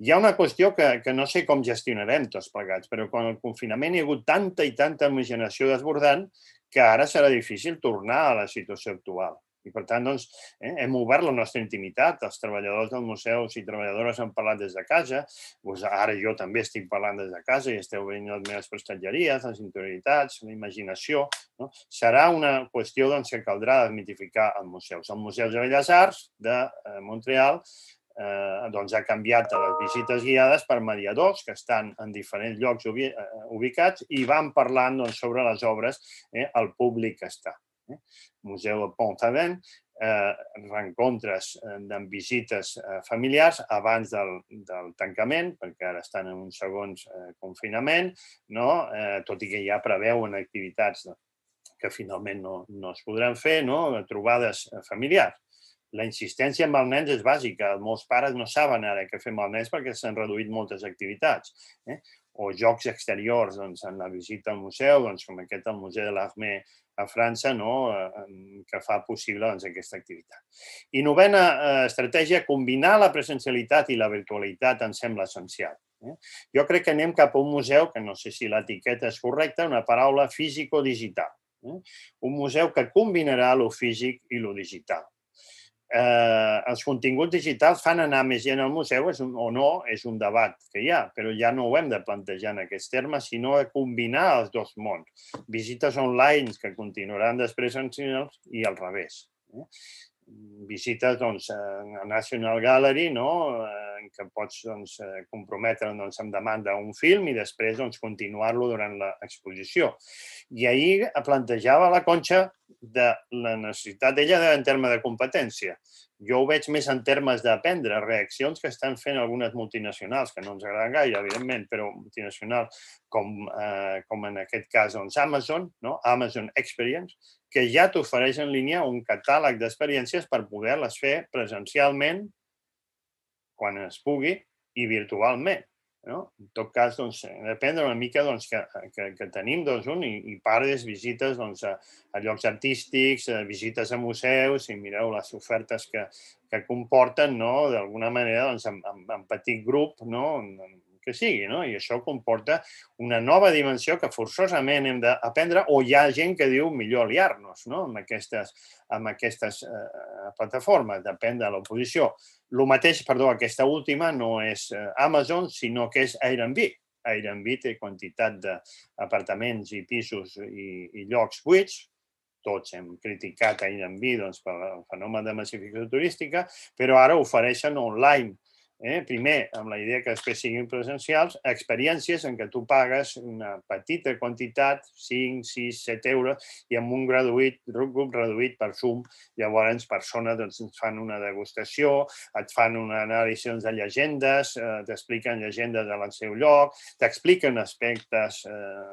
Hi ha una qüestió que no sé com gestionarem tots plegats, però quan el confinament hi ha hagut tanta i tanta imaginació desbordant que ara serà difícil tornar a la situació actual. I, per tant, doncs, hem obert la nostra intimitat. Els treballadors dels museus i treballadores han parlat des de casa. Ara jo també estic parlant des de casa i esteu veient les meves prestatgeries, les interioritats, la imaginació. Serà una qüestió que caldrà desmitificar als museus. El Museu de Belles Arts de Montreal ha canviat les visites guiades per mediadors que estan en diferents llocs ubicats i van parlant sobre les obres al públic que està. Museu de Pont-Aven, reencontres amb visites familiars abans del tancament, perquè ara estan en un segon confinament, tot i que ja preveuen activitats que finalment no es podran fer, trobades familiars. La insistència amb els nens és bàsica. Molts pares no saben ara què fer amb els nens perquè s'han reduït moltes activitats. O jocs exteriors en la visita al museu, com aquest al Museu de l'Armée a França, que fa possible aquesta activitat. I novena estratègia, combinar la presencialitat i la virtualitat em sembla essencial. Jo crec que anem cap a un museu, que no sé si l'etiqueta és correcta, una paraula físico-digital. Un museu que combinarà lo físic i lo digital. Els continguts digitals fan anar més gent al museu o no, és un debat que hi ha, però ja no ho hem de plantejar en aquests termes, sinó de combinar els dos mons. Visites online que continuaran després i al revés. Visites a National Gallery, en que pots doncs, comprometre doncs, amb demanda un film i després doncs, continuar-lo durant l'exposició. I ahir plantejava la Conxa de la necessitat d'ella en termes de competència. Jo ho veig més en termes d'aprendre reaccions que estan fent algunes multinacionals, que no ens agraden gaire, evidentment, però multinacionals com, eh, com en aquest cas doncs Amazon, no? Amazon Experience, que ja t'ofereix en línia un catàleg d'experiències per poder-les fer presencialment quan es pugui i virtualment. No? En tot cas, doncs, depèn una mica doncs, que, que, que tenim doncs, un, i, i pares visites doncs, a, a llocs artístics, a visites a museus, i mireu les ofertes que, que comporten, no? D'alguna manera, doncs, en, en, en petit grup, no? Que sigui, no? I això comporta una nova dimensió que forçosament hem d'aprendre, o hi ha gent que diu millor aliar-nos, no? amb aquestes, amb aquestes eh, plataformes, depèn de l'oposició. El mateix, perdó, aquesta última no és Amazon, sinó que és Airbnb. Airbnb té quantitat d'apartaments i pisos i, i llocs buits. Tots hem criticat Airbnb doncs, per el fenomen de massificació turística, però ara ofereixen online. Eh? Primer, amb la idea que després siguin presencials, experiències en què tu pagues una petita quantitat, cinc, sis, set euros, i amb un graduït, grup reduït per Zoom, llavors persones doncs, ens fan una degustació, et fan una anàlisi de llegendes, eh, t'expliquen llegendes al seu lloc, t'expliquen aspectes eh,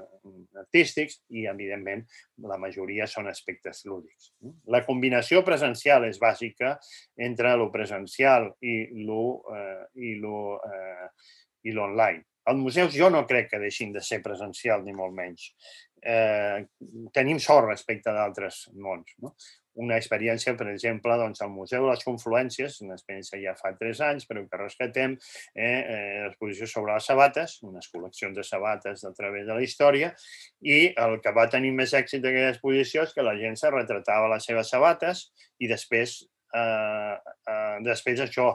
artístics i, evidentment, la majoria són aspectes lúdics. La combinació presencial és bàsica entre lo presencial i lo eh, i l'online. Els museus jo no crec que deixin de ser presencials, ni molt menys. Eh, tenim sort respecte d'altres mons. No? Una experiència, per exemple, doncs, al Museu de les Confluències, una experiència ja fa tres anys, però que rescatem, eh, l'exposició sobre les sabates, unes col·leccions de sabates a través de la història, i el que va tenir més èxit d'aquella exposició és que la gent se retratava les seves sabates i després, eh, eh, després això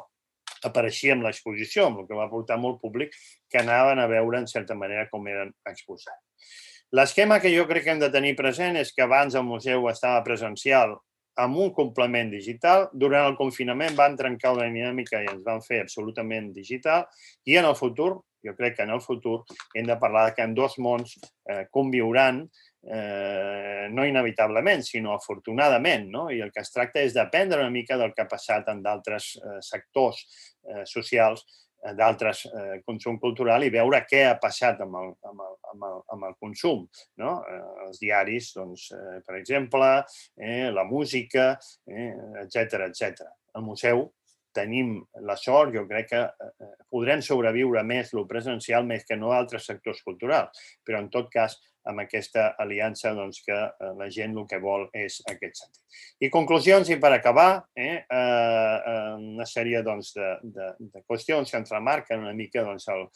apareixia en l'exposició, amb el que va portar molt públic que anaven a veure, en certa manera, com eren exposats. L'esquema que jo crec que hem de tenir present és que abans el museu estava presencial amb un complement digital. Durant el confinament van trencar una dinàmica i ens van fer absolutament digital. I en el futur, jo crec que en el futur, hem de parlar que en dos mons eh, conviuran Eh, no inevitablement, sinó afortunadament, no? I el que es tracta és d'aprendre una mica del que ha passat en d'altres eh, sectors eh, socials, eh, d'altres eh, consum cultural i veure què ha passat amb el, amb el, amb el, amb el consum. No? Eh, els diaris, doncs, eh, per exemple, eh, la música, eh, etcètera, etcètera. Al museu tenim la sort, jo crec que eh, podrem sobreviure més lo presencial més que no altres sectors culturals, però en tot cas amb aquesta aliança doncs, que la gent el que vol és aquest sentit. I conclusions, i per acabar, eh, eh, una sèrie doncs, de, de, de qüestions que ens remarquen una mica doncs, el,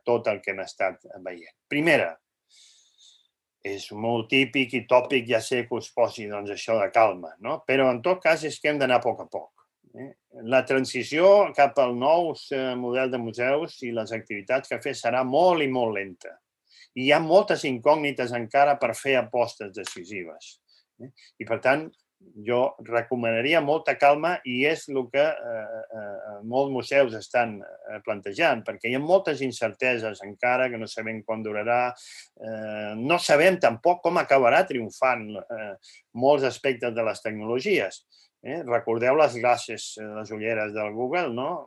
tot el que hem estat veient. Primera, és molt típic i tòpic, ja sé que us posi doncs, això de calma, no? Però en tot cas és que hem d'anar a poc a poc. Eh? La transició cap al nou model de museus i les activitats que fer serà molt i molt lenta. I hi ha moltes incògnites encara per fer apostes decisives. I, per tant, jo recomanaria molta calma i és el que eh, eh, molts museus estan plantejant, perquè hi ha moltes incerteses encara que no sabem quan durarà. Eh, no sabem tampoc com acabarà triomfant eh, molts aspectes de les tecnologies. Eh? Recordeu les glasses, les ulleres del Google, no?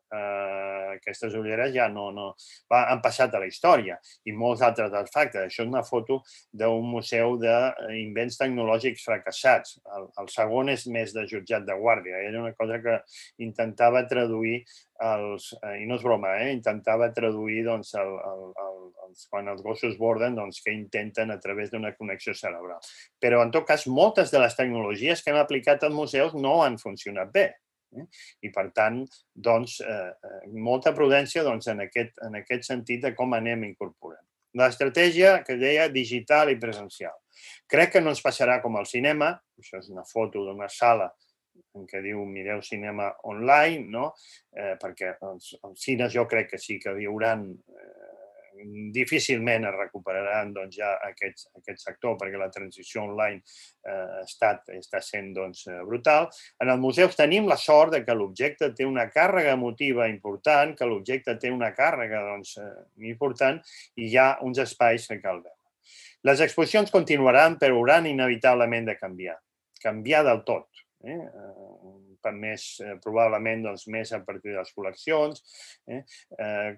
Uh, aquestes ulleres ja no, no va, han passat a la història i molts altres artefactes. Això és una foto d'un museu d'invents tecnològics fracassats. El, el segon és més de jutjat de guàrdia. Era una cosa que intentava traduir els, eh, i no és broma, eh, intentava traduir doncs, el, el, el, els, quan els gossos borden doncs, que intenten a través d'una connexió cerebral. Però en tot cas moltes de les tecnologies que hem aplicat als museus no han funcionat bé. Eh? I, per tant, doncs, eh, molta prudència doncs, en, aquest, en aquest sentit de com anem incorporant. L'estratègia que deia digital i presencial. Crec que no ens passarà com al cinema, això és una foto d'una sala en què diu mireu cinema online, no? eh, perquè els, els cines jo crec que sí que hi haurà eh, difícilment es recuperaran ja aquest sector perquè la transició online està sent brutal. En els museus tenim la sort que l'objecte té una càrrega emotiva important, que l'objecte té una càrrega important i hi ha uns espais que cal veure. Les exposicions continuaran, però hauran inevitablement de canviar. Canviar del tot. Més, probablement més a partir de les col·leccions,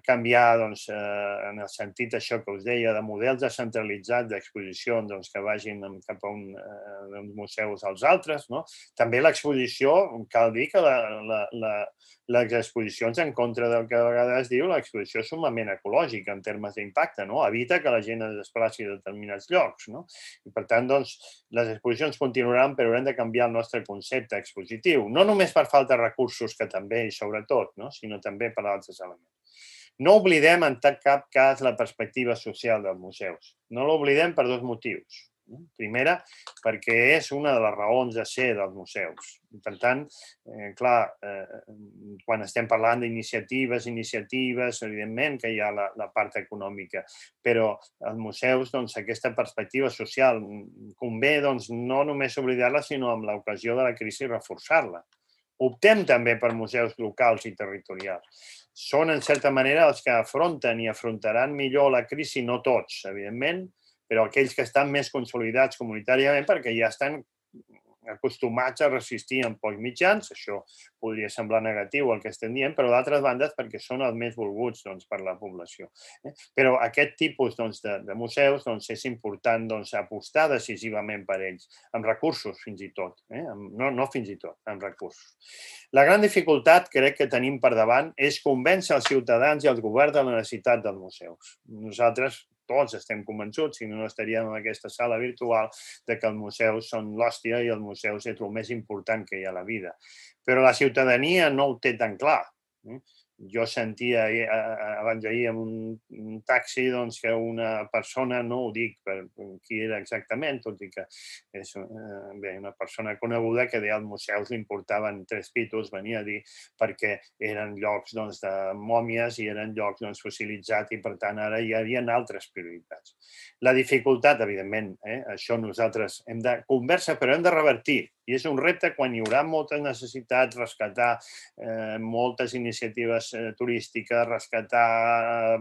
canviar en el sentit això que us deia de models descentralitzats d'exposicions que vagin cap a uns museus als altres. També l'exposició, cal dir que les exposicions en contra del que a vegades es diu, l'exposició és sumament ecològica en termes d'impacte, evita que la gent es desplaci a determinats llocs. I per tant, les exposicions continuaran, però haurem de canviar el nostre concepte expositiu. No només per falta de recursos, que també i sobretot, sinó també per altres elements. No oblidem en cap cas la perspectiva social dels museus. No l'oblidem per dos motius. Primera, perquè és una de les raons de ser dels museus. Per tant, clar, quan estem parlant d'iniciatives, iniciatives, evidentment que hi ha la part econòmica, però als museus aquesta perspectiva social convé no només oblidar-la, sinó amb l'ocasió de la crisi reforçar-la. Optem també per museus locals i territorials. Són, en certa manera, els que afronten i afrontaran millor la crisi, no tots, evidentment, però aquells que estan més consolidats comunitàriament perquè ja estan acostumats a resistir amb pocs mitjans, això podria semblar negatiu el que estem dient, però d'altres bandes perquè són els més volguts per la població. Però aquest tipus de museus és important apostar decisivament per ells, amb recursos fins i tot, no fins i tot, amb recursos. La gran dificultat, crec que tenim per davant, és convèncer els ciutadans i els governs de la necessitat dels museus. Nosaltres tots estem convençuts, si no estaríem en aquesta sala virtual, que els museus són l'hòstia i els museus és el més important que hi ha a la vida. Però la ciutadania no ho té tan clar. Jo sentia abans d'ahir en un taxi que una persona, no ho dic per qui era exactament, tot i que és una persona coneguda que deia als museus li importaven tres pitos, venia a dir, perquè eren llocs de mòmies i eren llocs fossilitzats i per tant ara hi havia altres prioritats. La dificultat, evidentment, això nosaltres hem de conversar, però hem de revertir. I és un repte quan hi haurà moltes necessitats, rescatar moltes iniciatives turístiques, rescatar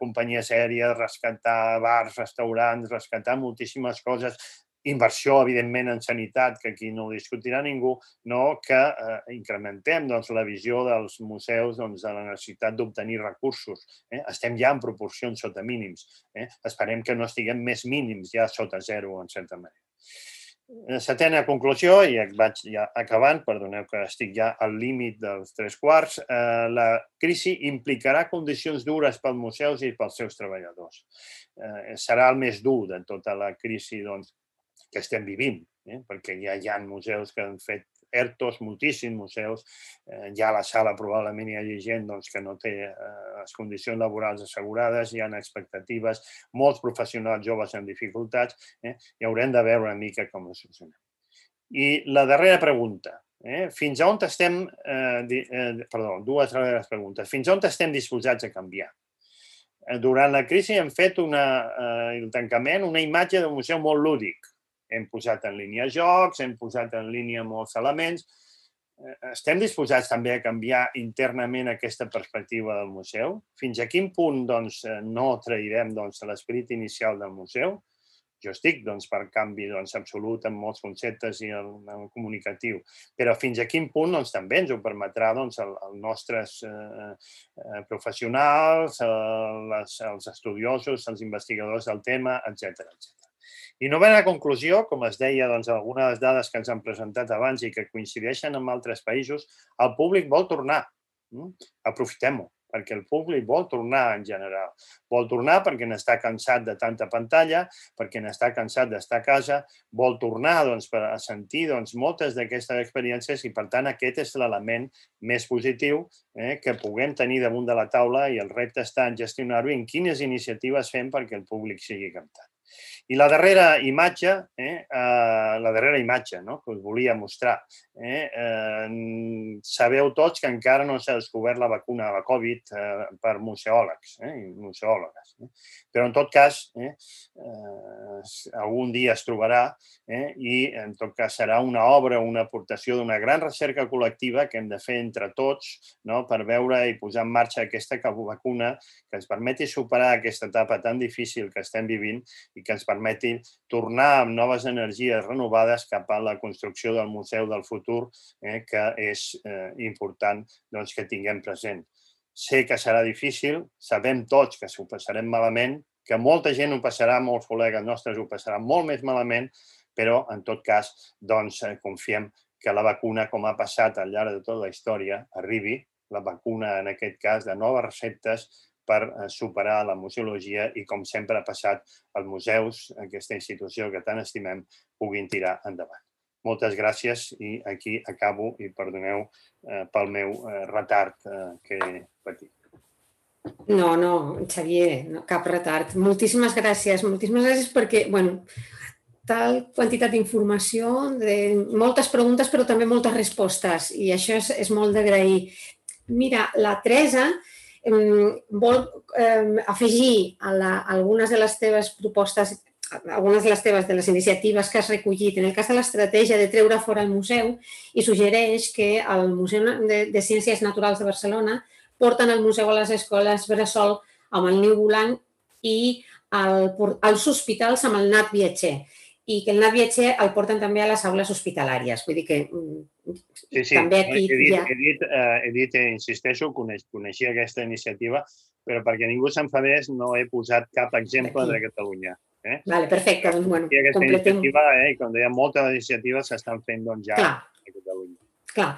companyies aèries, rescatar bars, restaurants, rescatar moltíssimes coses, inversió, evidentment, en sanitat, que aquí no ho discutirà ningú, que incrementem la visió dels museus de la necessitat d'obtenir recursos. Estem ja en proporcions sota mínims. Esperem que no estiguem més mínims ja sota zero, en certa manera. Setena conclusió, i vaig ja acabant, perdoneu que estic ja al límit dels tres quarts, la crisi implicarà condicions dures pels museus i pels seus treballadors. Serà el més dur de tota la crisi que estem vivint, perquè ja hi ha museus que han fet ERTOs, moltíssims museus, ja a la sala probablement hi hagi gent que no té les condicions laborals assegurades, hi ha expectatives, molts professionals joves amb dificultats, i haurem de veure una mica com ho solucionem. I la darrera pregunta, fins a on estem, perdó, dues darreres preguntes, fins a on estem disposats a canviar? Durant la crisi hem fet el tancament, una imatge d'un museu molt lúdic. Hem posat en línia jocs, hem posat en línia molts elements. Estem disposats també a canviar internament aquesta perspectiva del museu? Fins a quin punt no trairem l'esperit inicial del museu? Jo estic per canvi absolut en molts conceptes i en el comunicatiu, però fins a quin punt també ens ho permetrà els nostres professionals, els estudiosos, els investigadors del tema, etcètera. I novena conclusió, com es deia, algunes de les dades que ens han presentat abans i que coincideixen amb altres països, el públic vol tornar. Aprofitem-ho, perquè el públic vol tornar en general. Vol tornar perquè n'està cansat de tanta pantalla, perquè n'està cansat d'estar a casa, vol tornar a sentir moltes d'aquestes experiències i, per tant, aquest és l'element més positiu que puguem tenir damunt de la taula i el repte està en gestionar-ho i en quines iniciatives fem perquè el públic sigui captat. I la darrera imatge, eh, eh, la darrera imatge no? que us volia mostrar. Eh, eh, sabeu tots que encara no s'ha descobert la vacuna de la Covid eh, per museòlegs eh, i museòlogues. Eh? Però, en tot cas, eh, eh, algun dia es trobarà eh, i, en tot cas, serà una obra, una aportació d'una gran recerca col·lectiva que hem de fer entre tots no? per veure i posar en marxa aquesta vacuna que ens permeti superar aquesta etapa tan difícil que estem vivint i que ens permeti tornar amb noves energies renovades cap a la construcció del museu del futur, eh, que és eh, important doncs, que tinguem present. Sé que serà difícil, sabem tots que s'ho passarem malament, que molta gent ho passarà, molts col·legues nostres ho passaran molt més malament, però, en tot cas, doncs, eh, confiem que la vacuna, com ha passat al llarg de tota la història, arribi, la vacuna, en aquest cas, de noves receptes, per superar la museologia i, com sempre ha passat, els museus, aquesta institució que tant estimem, puguin tirar endavant. Moltes gràcies i aquí acabo i perdoneu eh, pel meu eh, retard eh, que he patit. No, no, Xavier, no, cap retard. Moltíssimes gràcies, moltíssimes gràcies perquè, bueno, tal quantitat d'informació, de moltes preguntes però també moltes respostes i això és, és molt d'agrair. Mira, la Teresa vol eh, afegir a, la, a algunes de les teves propostes, algunes de les teves de les iniciatives que has recollit en el cas de l'estratègia de treure fora el museu i suggereix que el Museu de, de Ciències Naturals de Barcelona porten el museu a les escoles bressol amb el niu volant i el, els hospitals amb el Nat Viatger i que el Nat Viatger el porten també a les aules hospitalàries. Vull dir que sí, sí. també aquí he dit, hi ha... He dit, eh, he dit eh, insisteixo, coneix, coneixia aquesta iniciativa, però perquè ningú s'enfadés no he posat cap exemple de Catalunya. Eh? Vale, perfecte, doncs, bueno, aquesta completem... iniciativa, eh, com deia, moltes iniciatives s'estan fent doncs, ja Clar. a Catalunya. Clar.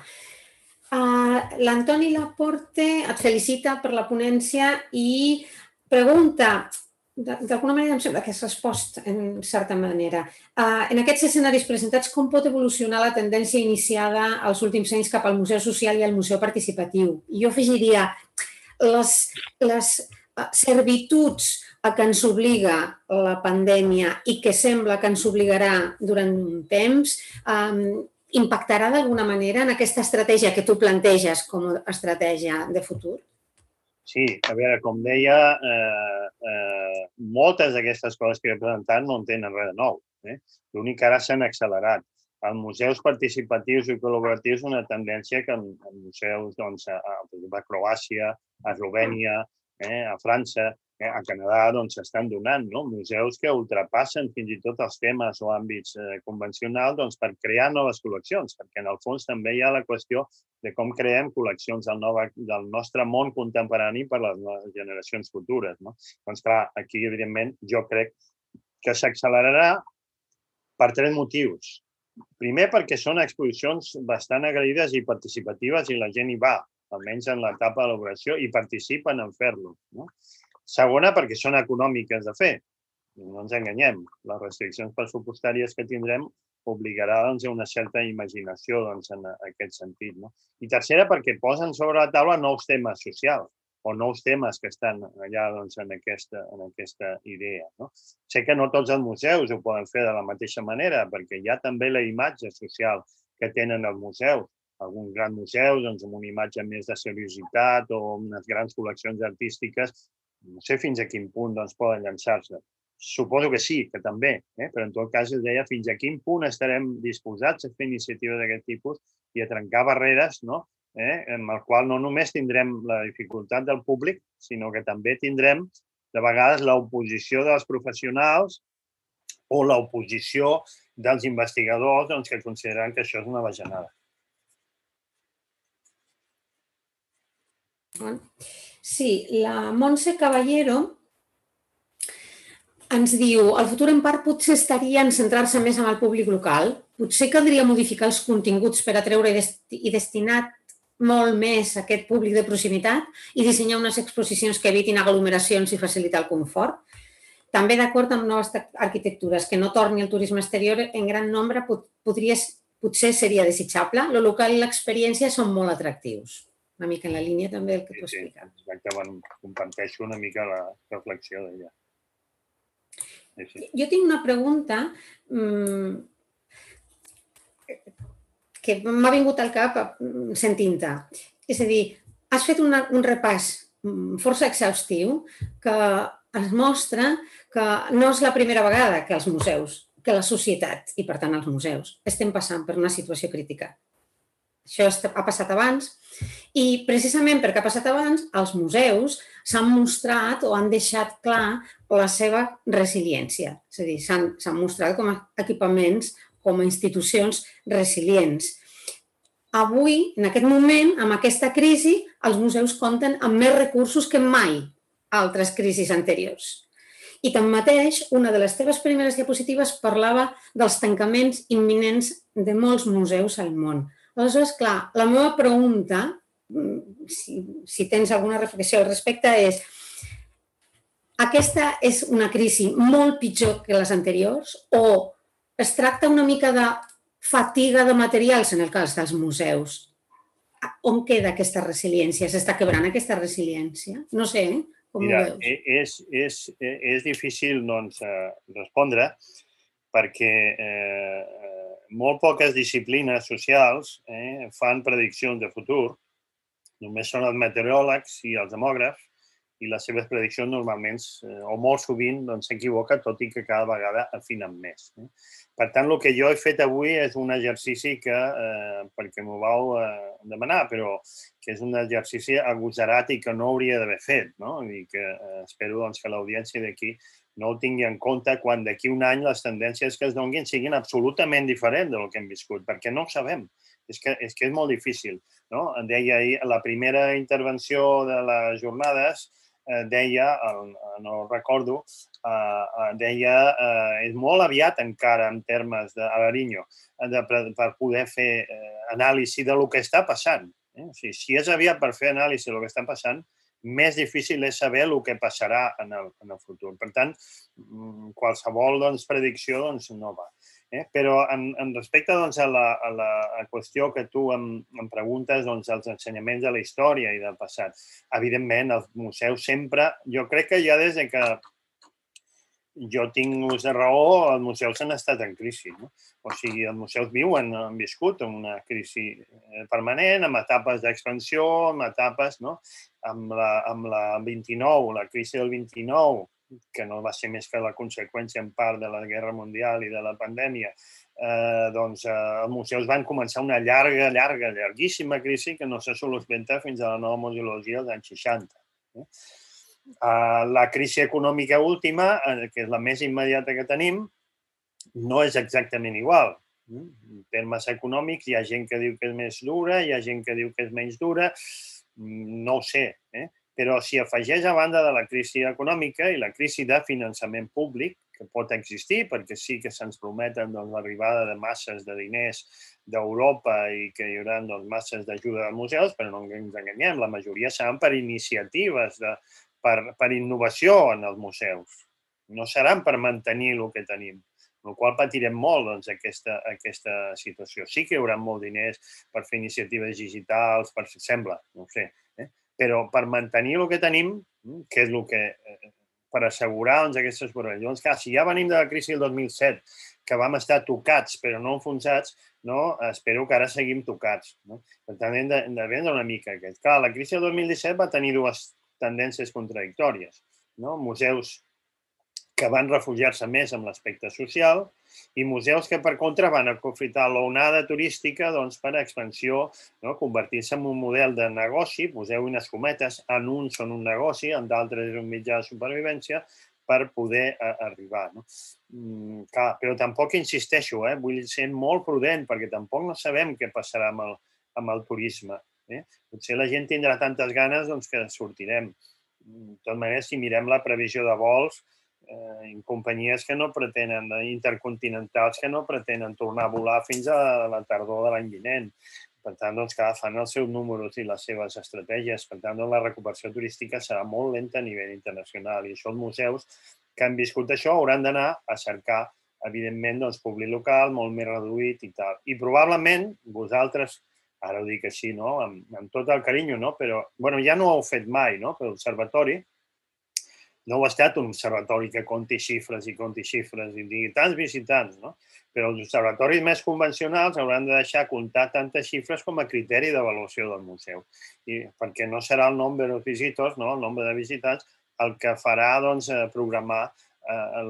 Uh, L'Antoni Laporte et felicita per la ponència i pregunta, d'alguna manera em sembla que has respost en certa manera, uh, en aquests escenaris presentats com pot evolucionar la tendència iniciada als últims anys cap al museu social i al museu participatiu? I jo afegiria les, les servituds a què ens obliga la pandèmia i que sembla que ens obligarà durant un temps, um, impactarà d'alguna manera en aquesta estratègia que tu planteges com a estratègia de futur? Sí, a veure, com deia, eh, eh, moltes d'aquestes coses que he presentat no en tenen res de nou. Eh? L'únic que ara s'han accelerat. Els museus participatius i col·laboratius és una tendència que en, en museus doncs, a, a Croàcia, a Eslovènia, eh, a França, eh, a Canadà doncs, s'estan donant, no? Museus que ultrapassen fins i tot els temes o àmbits eh, convencionals doncs, per crear noves col·leccions, perquè en el fons també hi ha la qüestió de com creem col·leccions del, nova, del nostre món contemporani per a les generacions futures. No? Doncs clar, aquí evidentment jo crec que s'accelerarà per tres motius. Primer, perquè són exposicions bastant agraïdes i participatives i la gent hi va, almenys en l'etapa d'elaboració, i participen en fer-lo. No? Segona, perquè són econòmiques de fer. No ens enganyem. Les restriccions pressupostàries que tindrem obligarà doncs, a una certa imaginació doncs, en aquest sentit. No? I tercera, perquè posen sobre la taula nous temes socials o nous temes que estan allà doncs, en, aquesta, en aquesta idea. No? Sé que no tots els museus ho poden fer de la mateixa manera, perquè hi ha també la imatge social que tenen els museus. Alguns grans museus doncs, amb una imatge més de seriositat o unes grans col·leccions artístiques, no sé fins a quin punt doncs, poden llançar-se. Suposo que sí, que també, eh? però en tot cas es deia fins a quin punt estarem disposats a fer iniciatives d'aquest tipus i a trencar barreres, no? eh? en el qual no només tindrem la dificultat del públic, sinó que també tindrem de vegades l'oposició dels professionals o l'oposició dels investigadors doncs, que consideren que això és una bajanada. Sí, la Montse Caballero ens diu, el futur en part potser estaria en centrar-se més en el públic local. Potser caldria modificar els continguts per atreure i destinar molt més a aquest públic de proximitat i dissenyar unes exposicions que evitin aglomeracions i facilitar el confort. També d'acord amb noves arquitectures, que no torni el turisme exterior en gran nombre podria, potser seria desitjable. Lo local i l'experiència són molt atractius. Una mica en la línia també del que tu expliques. Sí, exacte, bueno, comparteixo una mica la reflexió d'ella. Jo tinc una pregunta que m'ha vingut al cap sentint-te. És a dir, has fet un repàs força exhaustiu que es mostra que no és la primera vegada que els museus, que la societat, i per tant els museus, estem passant per una situació crítica. Això ha passat abans i precisament perquè ha passat abans, els museus s'han mostrat o han deixat clar la seva resiliència. És a dir, s'han mostrat com a equipaments, com a institucions resilients. Avui, en aquest moment, amb aquesta crisi, els museus compten amb més recursos que mai a altres crisis anteriors. I tanmateix, una de les teves primeres diapositives parlava dels tancaments imminents de molts museus al món. Aleshores, clar, la meva pregunta, si tens alguna reflexió al respecte, és: aquesta és una crisi molt pitjor que les anteriors o es tracta una mica de fatiga de materials en el cas dels museus? On queda aquesta resiliència? S'està quebrant aquesta resiliència? No sé, com ho veus? Mira, és difícil respondre perquè molt poques disciplines socials fan prediccions de futur. Només són els meteoròlegs i els demògrafs i les seves prediccions normalment o molt sovint s'equivoquen, tot i que cada vegada afinen més. Per tant, el que jo he fet avui és un exercici que, perquè m'ho vau demanar, però que és un exercici agosarat i que no hauria d'haver fet. I que espero que l'audiència d'aquí no ho tingui en compte quan d'aquí un any les tendències que es donin siguin absolutament diferents del que hem viscut, perquè no ho sabem. És que és molt difícil. Deia ahir, la primera intervenció de les jornades deia, no recordo, deia és molt aviat encara en termes d'Alariño per poder fer anàlisi del que està passant. Si és aviat per fer anàlisi del que està passant, més difícil és saber el que passarà en el futur. Per tant, qualsevol predicció no va. Però en respecte a la qüestió que tu em preguntes dels ensenyaments de la història i del passat, evidentment, els museus sempre, jo crec que ja des que jo tinc ús de raó, els museus han estat en crisi. O sigui, els museus viuen, han viscut una crisi permanent, amb etapes d'expansió, amb etapes, amb la vint-i-nou, la crisi del vint-i-nou, que no va ser més que la conseqüència en part de la Guerra Mundial i de la pandèmia, doncs els museus van començar una llarga, llarga, llarguíssima crisi que no se soluciona fins a la nova museologia dels anys seixanta. La crisi econòmica última, que és la més immediata que tenim, no és exactament igual. En termes econòmics hi ha gent que diu que és més dura, hi ha gent que diu que és menys dura, no ho sé, però si afegeix a banda de la crisi econòmica i la crisi de finançament públic, que pot existir perquè sí que se'ns prometen l'arribada de masses de diners d'Europa i que hi haurà masses d'ajuda als museus, però no ens enganyem, la majoria seran per iniciatives, per innovació en els museus. No seran per mantenir el que tenim, amb la qual cosa patirem molt aquesta situació. Sí que hi haurà molts diners per fer iniciatives digitals, sembla, no ho sé, però per mantenir el que tenim, que és el que, per assegurar aquestes proves. Llavors, clar, si ja venim de la crisi del dos mil set, que vam estar tocats però no enfonsats, espero que ara seguim tocats. Per tant, hem de vendre una mica aquest. Clar, la crisi del dos mil disset va tenir dues tendències contradictòries. Museus que van refugiar-se més en l'aspecte social i museus que, per contra, van aprofitar l'onada turística per expansió, convertir-se en un model de negoci, poseu unes cometes, en uns són un negoci, en d'altres és un mitjà de supervivència, per poder arribar. Però tampoc insisteixo, vull ser molt prudent, perquè tampoc no sabem què passarà amb el turisme. Potser la gent tindrà tantes ganes que sortirem. De totes maneres, si mirem la previsió de vols, en companyies que no pretenen, intercontinentals que no pretenen tornar a volar fins a la tardor de l'any vinent. Per tant, doncs, clar, fan els seus números i les seves estratègies. Per tant, la recuperació turística serà molt lenta a nivell internacional i això els museus que han viscut això hauran d'anar a cercar, evidentment, públic local, molt més reduït i tal. I probablement vosaltres, ara ho dic així, amb tot el carinyo, però ja no ho heu fet mai, per l'observatori, no ho ha estat un observatori que compti xifres i compti xifres i digui tants visitants, no? Però els observatoris més convencionals hauran de deixar comptar tantes xifres com a criteri d'avaluació del museu. I perquè no serà el nombre de visitors, no? El nombre de visitants, el que farà doncs, programar eh,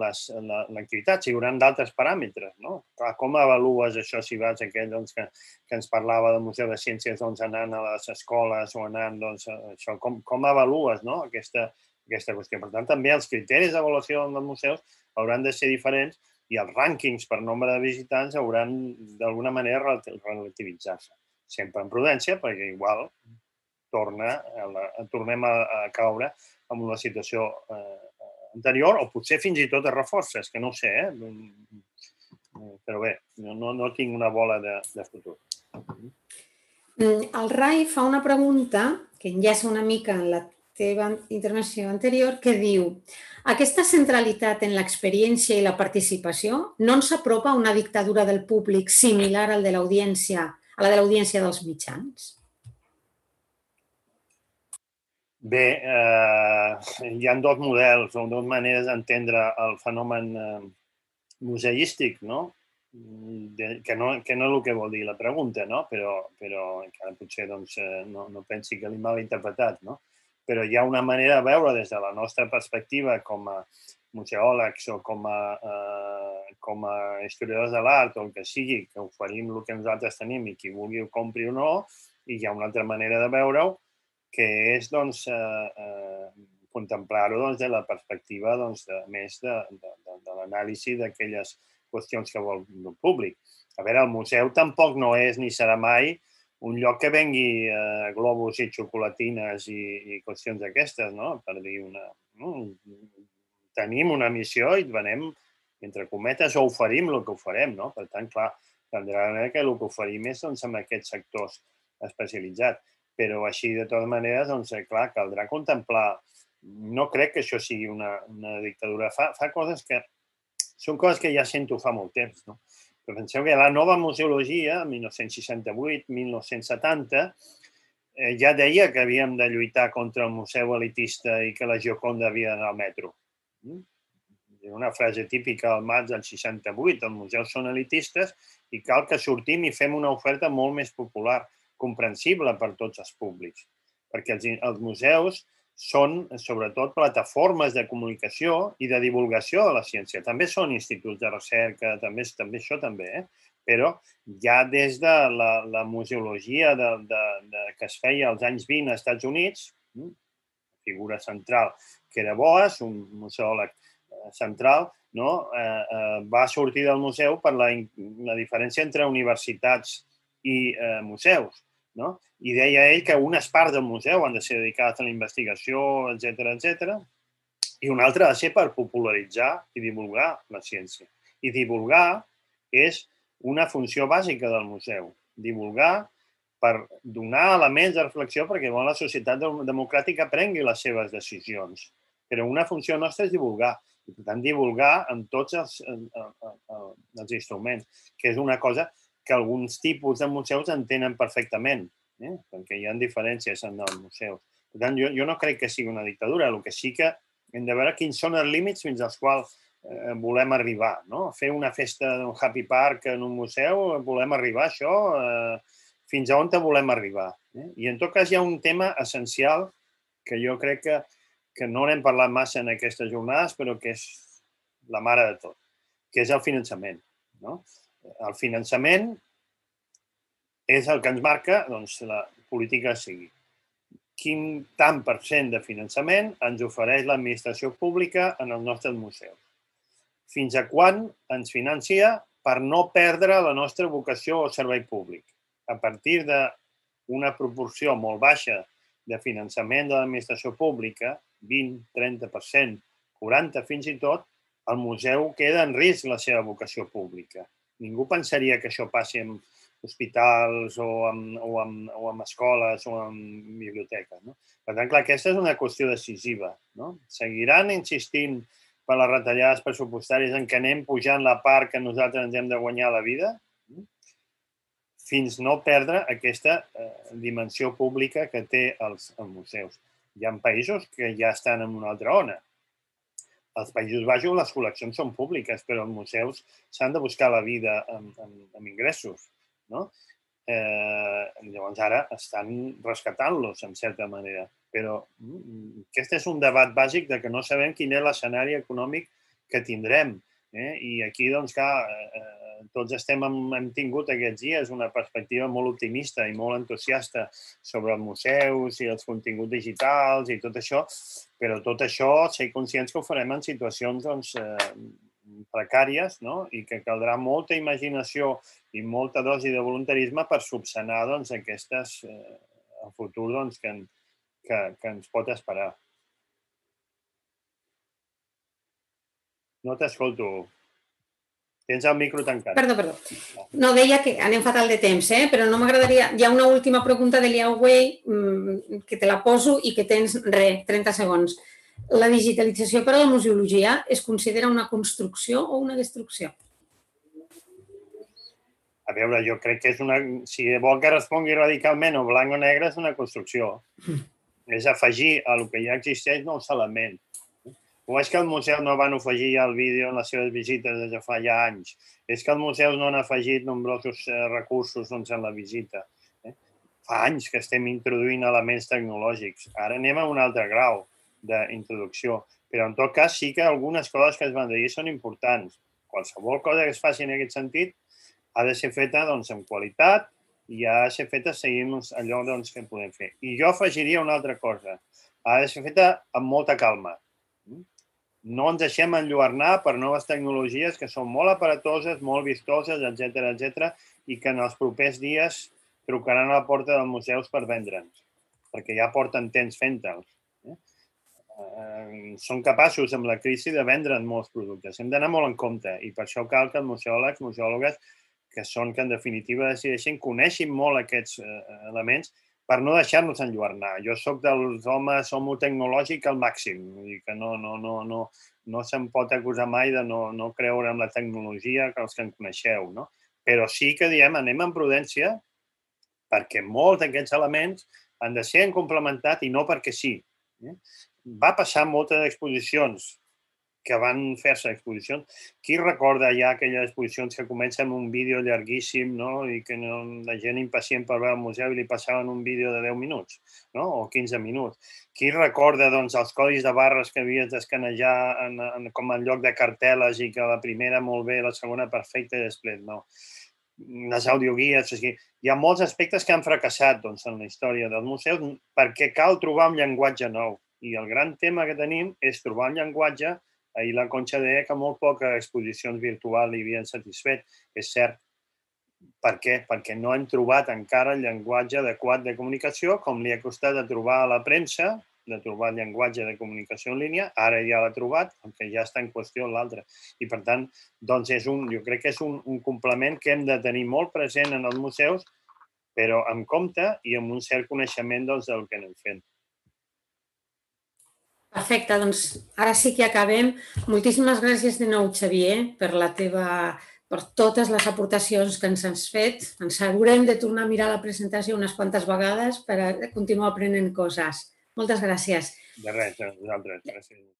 l'activitat. Si hi haurà d'altres paràmetres, no? Clar, com avalues això si vas a aquell doncs, que, que ens parlava del Museu de Ciències doncs, anant a les escoles o anant, doncs, això, com, com avalues, no? aquesta, aquesta qüestió. Per tant, també els criteris d'avaluació dels museus hauran de ser diferents i els rànquings per nombre de visitants hauran d'alguna manera relativitzar-se. Sempre en prudència, perquè igual torna a la, tornem a, a caure en una situació eh, anterior o potser fins i tot es reforça, és que no ho sé, eh? Però bé, no, no tinc una bola de, de futur. El Rai fa una pregunta que enllaça una mica en la teva intervenció anterior que diu: aquesta centralitat en l'experiència i la participació no ens apropa a una dictadura del públic similar al de l'audiència, a la de l'audiència dels mitjans? Bé, eh, hi ha dos models o dues maneres d'entendre el fenomen eh, museístic, no? De, que, no, que no és el que vol dir la pregunta, no? Però, però encara potser doncs, no, no pensi que l'he mal interpretat, no? Però hi ha una manera de veure des de la nostra perspectiva com a museòlegs o com a, eh, com a historiadors de l'art o el que sigui, que oferim el que nosaltres tenim i qui vulgui ho compri o no, i hi ha una altra manera de veure-ho, que és doncs, eh, eh, contemplar-ho doncs, de la perspectiva doncs, de, més de, de, de, de l'anàlisi d'aquelles qüestions que vol el públic. A veure, el museu tampoc no és ni serà mai un lloc que vengui eh, globus i xocolatines i, i qüestions d'aquestes, no? Per dir una... No? Tenim una missió i venem, entre cometes, o oferim el que oferem, no? Per tant, clar, caldrà que el que oferim és doncs, amb aquests sectors especialitzats. Però així, de totes maneres, doncs, clar, caldrà contemplar. No crec que això sigui una, una dictadura. Fa, fa coses que... Són coses que ja sento fa molt temps, no? Però penseu que la nova museologia, mil nou-cents seixanta-vuit mil nou-cents setanta, eh, ja deia que havíem de lluitar contra el museu elitista i que la Gioconda havia d'anar al metro. Una frase típica al maig del seixanta-vuit, els museus són elitistes i cal que sortim i fem una oferta molt més popular, comprensible per tots els públics. Perquè els, els museus són, sobretot, plataformes de comunicació i de divulgació de la ciència. També són instituts de recerca, també, també això també, eh? Però ja des de la, la museologia de, de, de, que es feia als anys vint als Estats Units, figura central, que era Boas, un museòleg central, no? eh, eh, va sortir del museu per la, la diferència entre universitats i eh, museus. No? I deia ell que unes parts del museu han de ser dedicades a la investigació, etcètera, etcètera, i una altra ha de ser per popularitzar i divulgar la ciència. I divulgar és una funció bàsica del museu. Divulgar per donar elements de reflexió perquè la societat democràtica prengui les seves decisions. Però una funció nostra és divulgar. I, per tant, divulgar en tots els, els instruments, que és una cosa que alguns tipus de museus entenen perfectament, eh? Perquè hi ha diferències en els museus. Per tant, jo, jo no crec que sigui una dictadura. El que sí que hem de veure quins són els límits fins als quals eh, volem arribar. No? Fer una festa d'un happy park en un museu, volem arribar a això, eh, fins a on volem arribar. Eh? I en tot cas hi ha un tema essencial que jo crec que, que no n'hem parlat massa en aquestes jornades, però que és la mare de tot, que és el finançament. No? El finançament és el que ens marca doncs, la política a seguir. Quin tant per cent de finançament ens ofereix l'administració pública en els nostres museus? Fins a quan ens financia per no perdre la nostra vocació o servei públic? A partir d'una proporció molt baixa de finançament de l'administració pública, vint, trenta per cent, quaranta fins i tot, el museu queda en risc la seva vocació pública. Ningú pensaria que això passi amb hospitals o amb, o amb, o amb escoles o amb biblioteques. No? Per tant, clar, aquesta és una qüestió decisiva. No? Seguiran insistint per les retallades pressupostàries en què anem pujant la part que nosaltres ens hem de guanyar la vida fins no perdre aquesta eh, dimensió pública que té els, els museus. Hi ha països que ja estan en una altra ona. als Països Baixos les col·leccions són públiques, però els museus s'han de buscar la vida amb, amb, amb ingressos, no? Eh, llavors ara estan rescatant-los, en certa manera. Però mm, aquest és un debat bàsic de que no sabem quin és l'escenari econòmic que tindrem. Eh? I aquí, doncs, clar, eh, tots estem, hem tingut aquests dies una perspectiva molt optimista i molt entusiasta sobre els museus i els continguts digitals i tot això, però tot això, ser conscients que ho farem en situacions, doncs, eh, precàries, no? I que caldrà molta imaginació i molta dosi de voluntarisme per subsanar, doncs, aquestes, eh, el futur, doncs, que, que, que ens pot esperar. No t'escolto. Tens el micro tancat. Perdó, perdó. No, deia que anem fatal de temps, eh? Però no m'agradaria... Hi ha una última pregunta de Liao Wei que te la poso i que tens, re, trenta segons. La digitalització per a la museologia es considera una construcció o una destrucció? A veure, jo crec que és una... Si vol que respongui radicalment o blanc o negre, és una construcció. Mm. És afegir a el que ja existeix nous elements. O és que els museus no van afegir ja el vídeo en les seves visites des de fa ja anys. És que els museus no han afegit nombrosos recursos doncs, en la visita. Eh? Fa anys que estem introduint elements tecnològics. Ara anem a un altre grau d'introducció. Però, en tot cas, sí que algunes coses que es van dir són importants. Qualsevol cosa que es faci en aquest sentit ha de ser feta doncs, amb qualitat i ha de ser feta seguint allò doncs, que podem fer. I jo afegiria una altra cosa. Ha de ser feta amb molta calma. No ens deixem enlluernar per noves tecnologies que són molt aparatoses, molt vistoses, etcètera, etcètera, i que en els propers dies trucaran a la porta dels museus per vendre'ns, perquè ja porten temps fent-te'ls. Eh, són capaços, amb la crisi, de vendre'n molts productes. Hem d'anar molt en compte i per això cal que els museòlegs, museòlogues, que són que en definitiva decideixen, coneixin molt aquests eh, elements per no deixar-nos enlluernar. Jo soc dels homes homo tecnològic al màxim, i que no, no, no, no, no se'm pot acusar mai de no, no creure en la tecnologia que els que en coneixeu, no? Però sí que diem, anem amb prudència, perquè molts d'aquests elements han de ser complementats i no perquè sí. Va passar moltes exposicions que van fer-se exposicions. Qui recorda ja aquelles exposicions que comencen amb un vídeo llarguíssim, no? I que no, la gent impacient per veure al museu i li passaven un vídeo de deu minuts, no? O quinze minuts. Qui recorda doncs, els codis de barres que havies d'escanejar en, en, com en lloc de cartel·les i que la primera molt bé, la segona perfecta i després no? Les audioguies. O sigui, hi ha molts aspectes que han fracassat doncs, en la història dels museus perquè cal trobar un llenguatge nou. I el gran tema que tenim és trobar un llenguatge. Ahir la Conxa deia que molt poques exposicions virtuals li havien satisfet. És cert. Per què? Perquè no hem trobat encara el llenguatge adequat de comunicació, com li ha costat de trobar a la premsa, de trobar el llenguatge de comunicació en línia. Ara ja l'ha trobat, perquè ja està en qüestió l'altre. I, per tant, doncs és un, jo crec que és un, un complement que hem de tenir molt present en els museus, però amb compte i amb un cert coneixement doncs, del que anem fent. Perfecte, doncs ara sí que acabem. Moltíssimes gràcies de nou, Xavier, per la teva, per totes les aportacions que ens has fet. Ens haurem de tornar a mirar la presentació unes quantes vegades per a continuar aprenent coses. Moltes gràcies. De res, a vosaltres. Gràcies.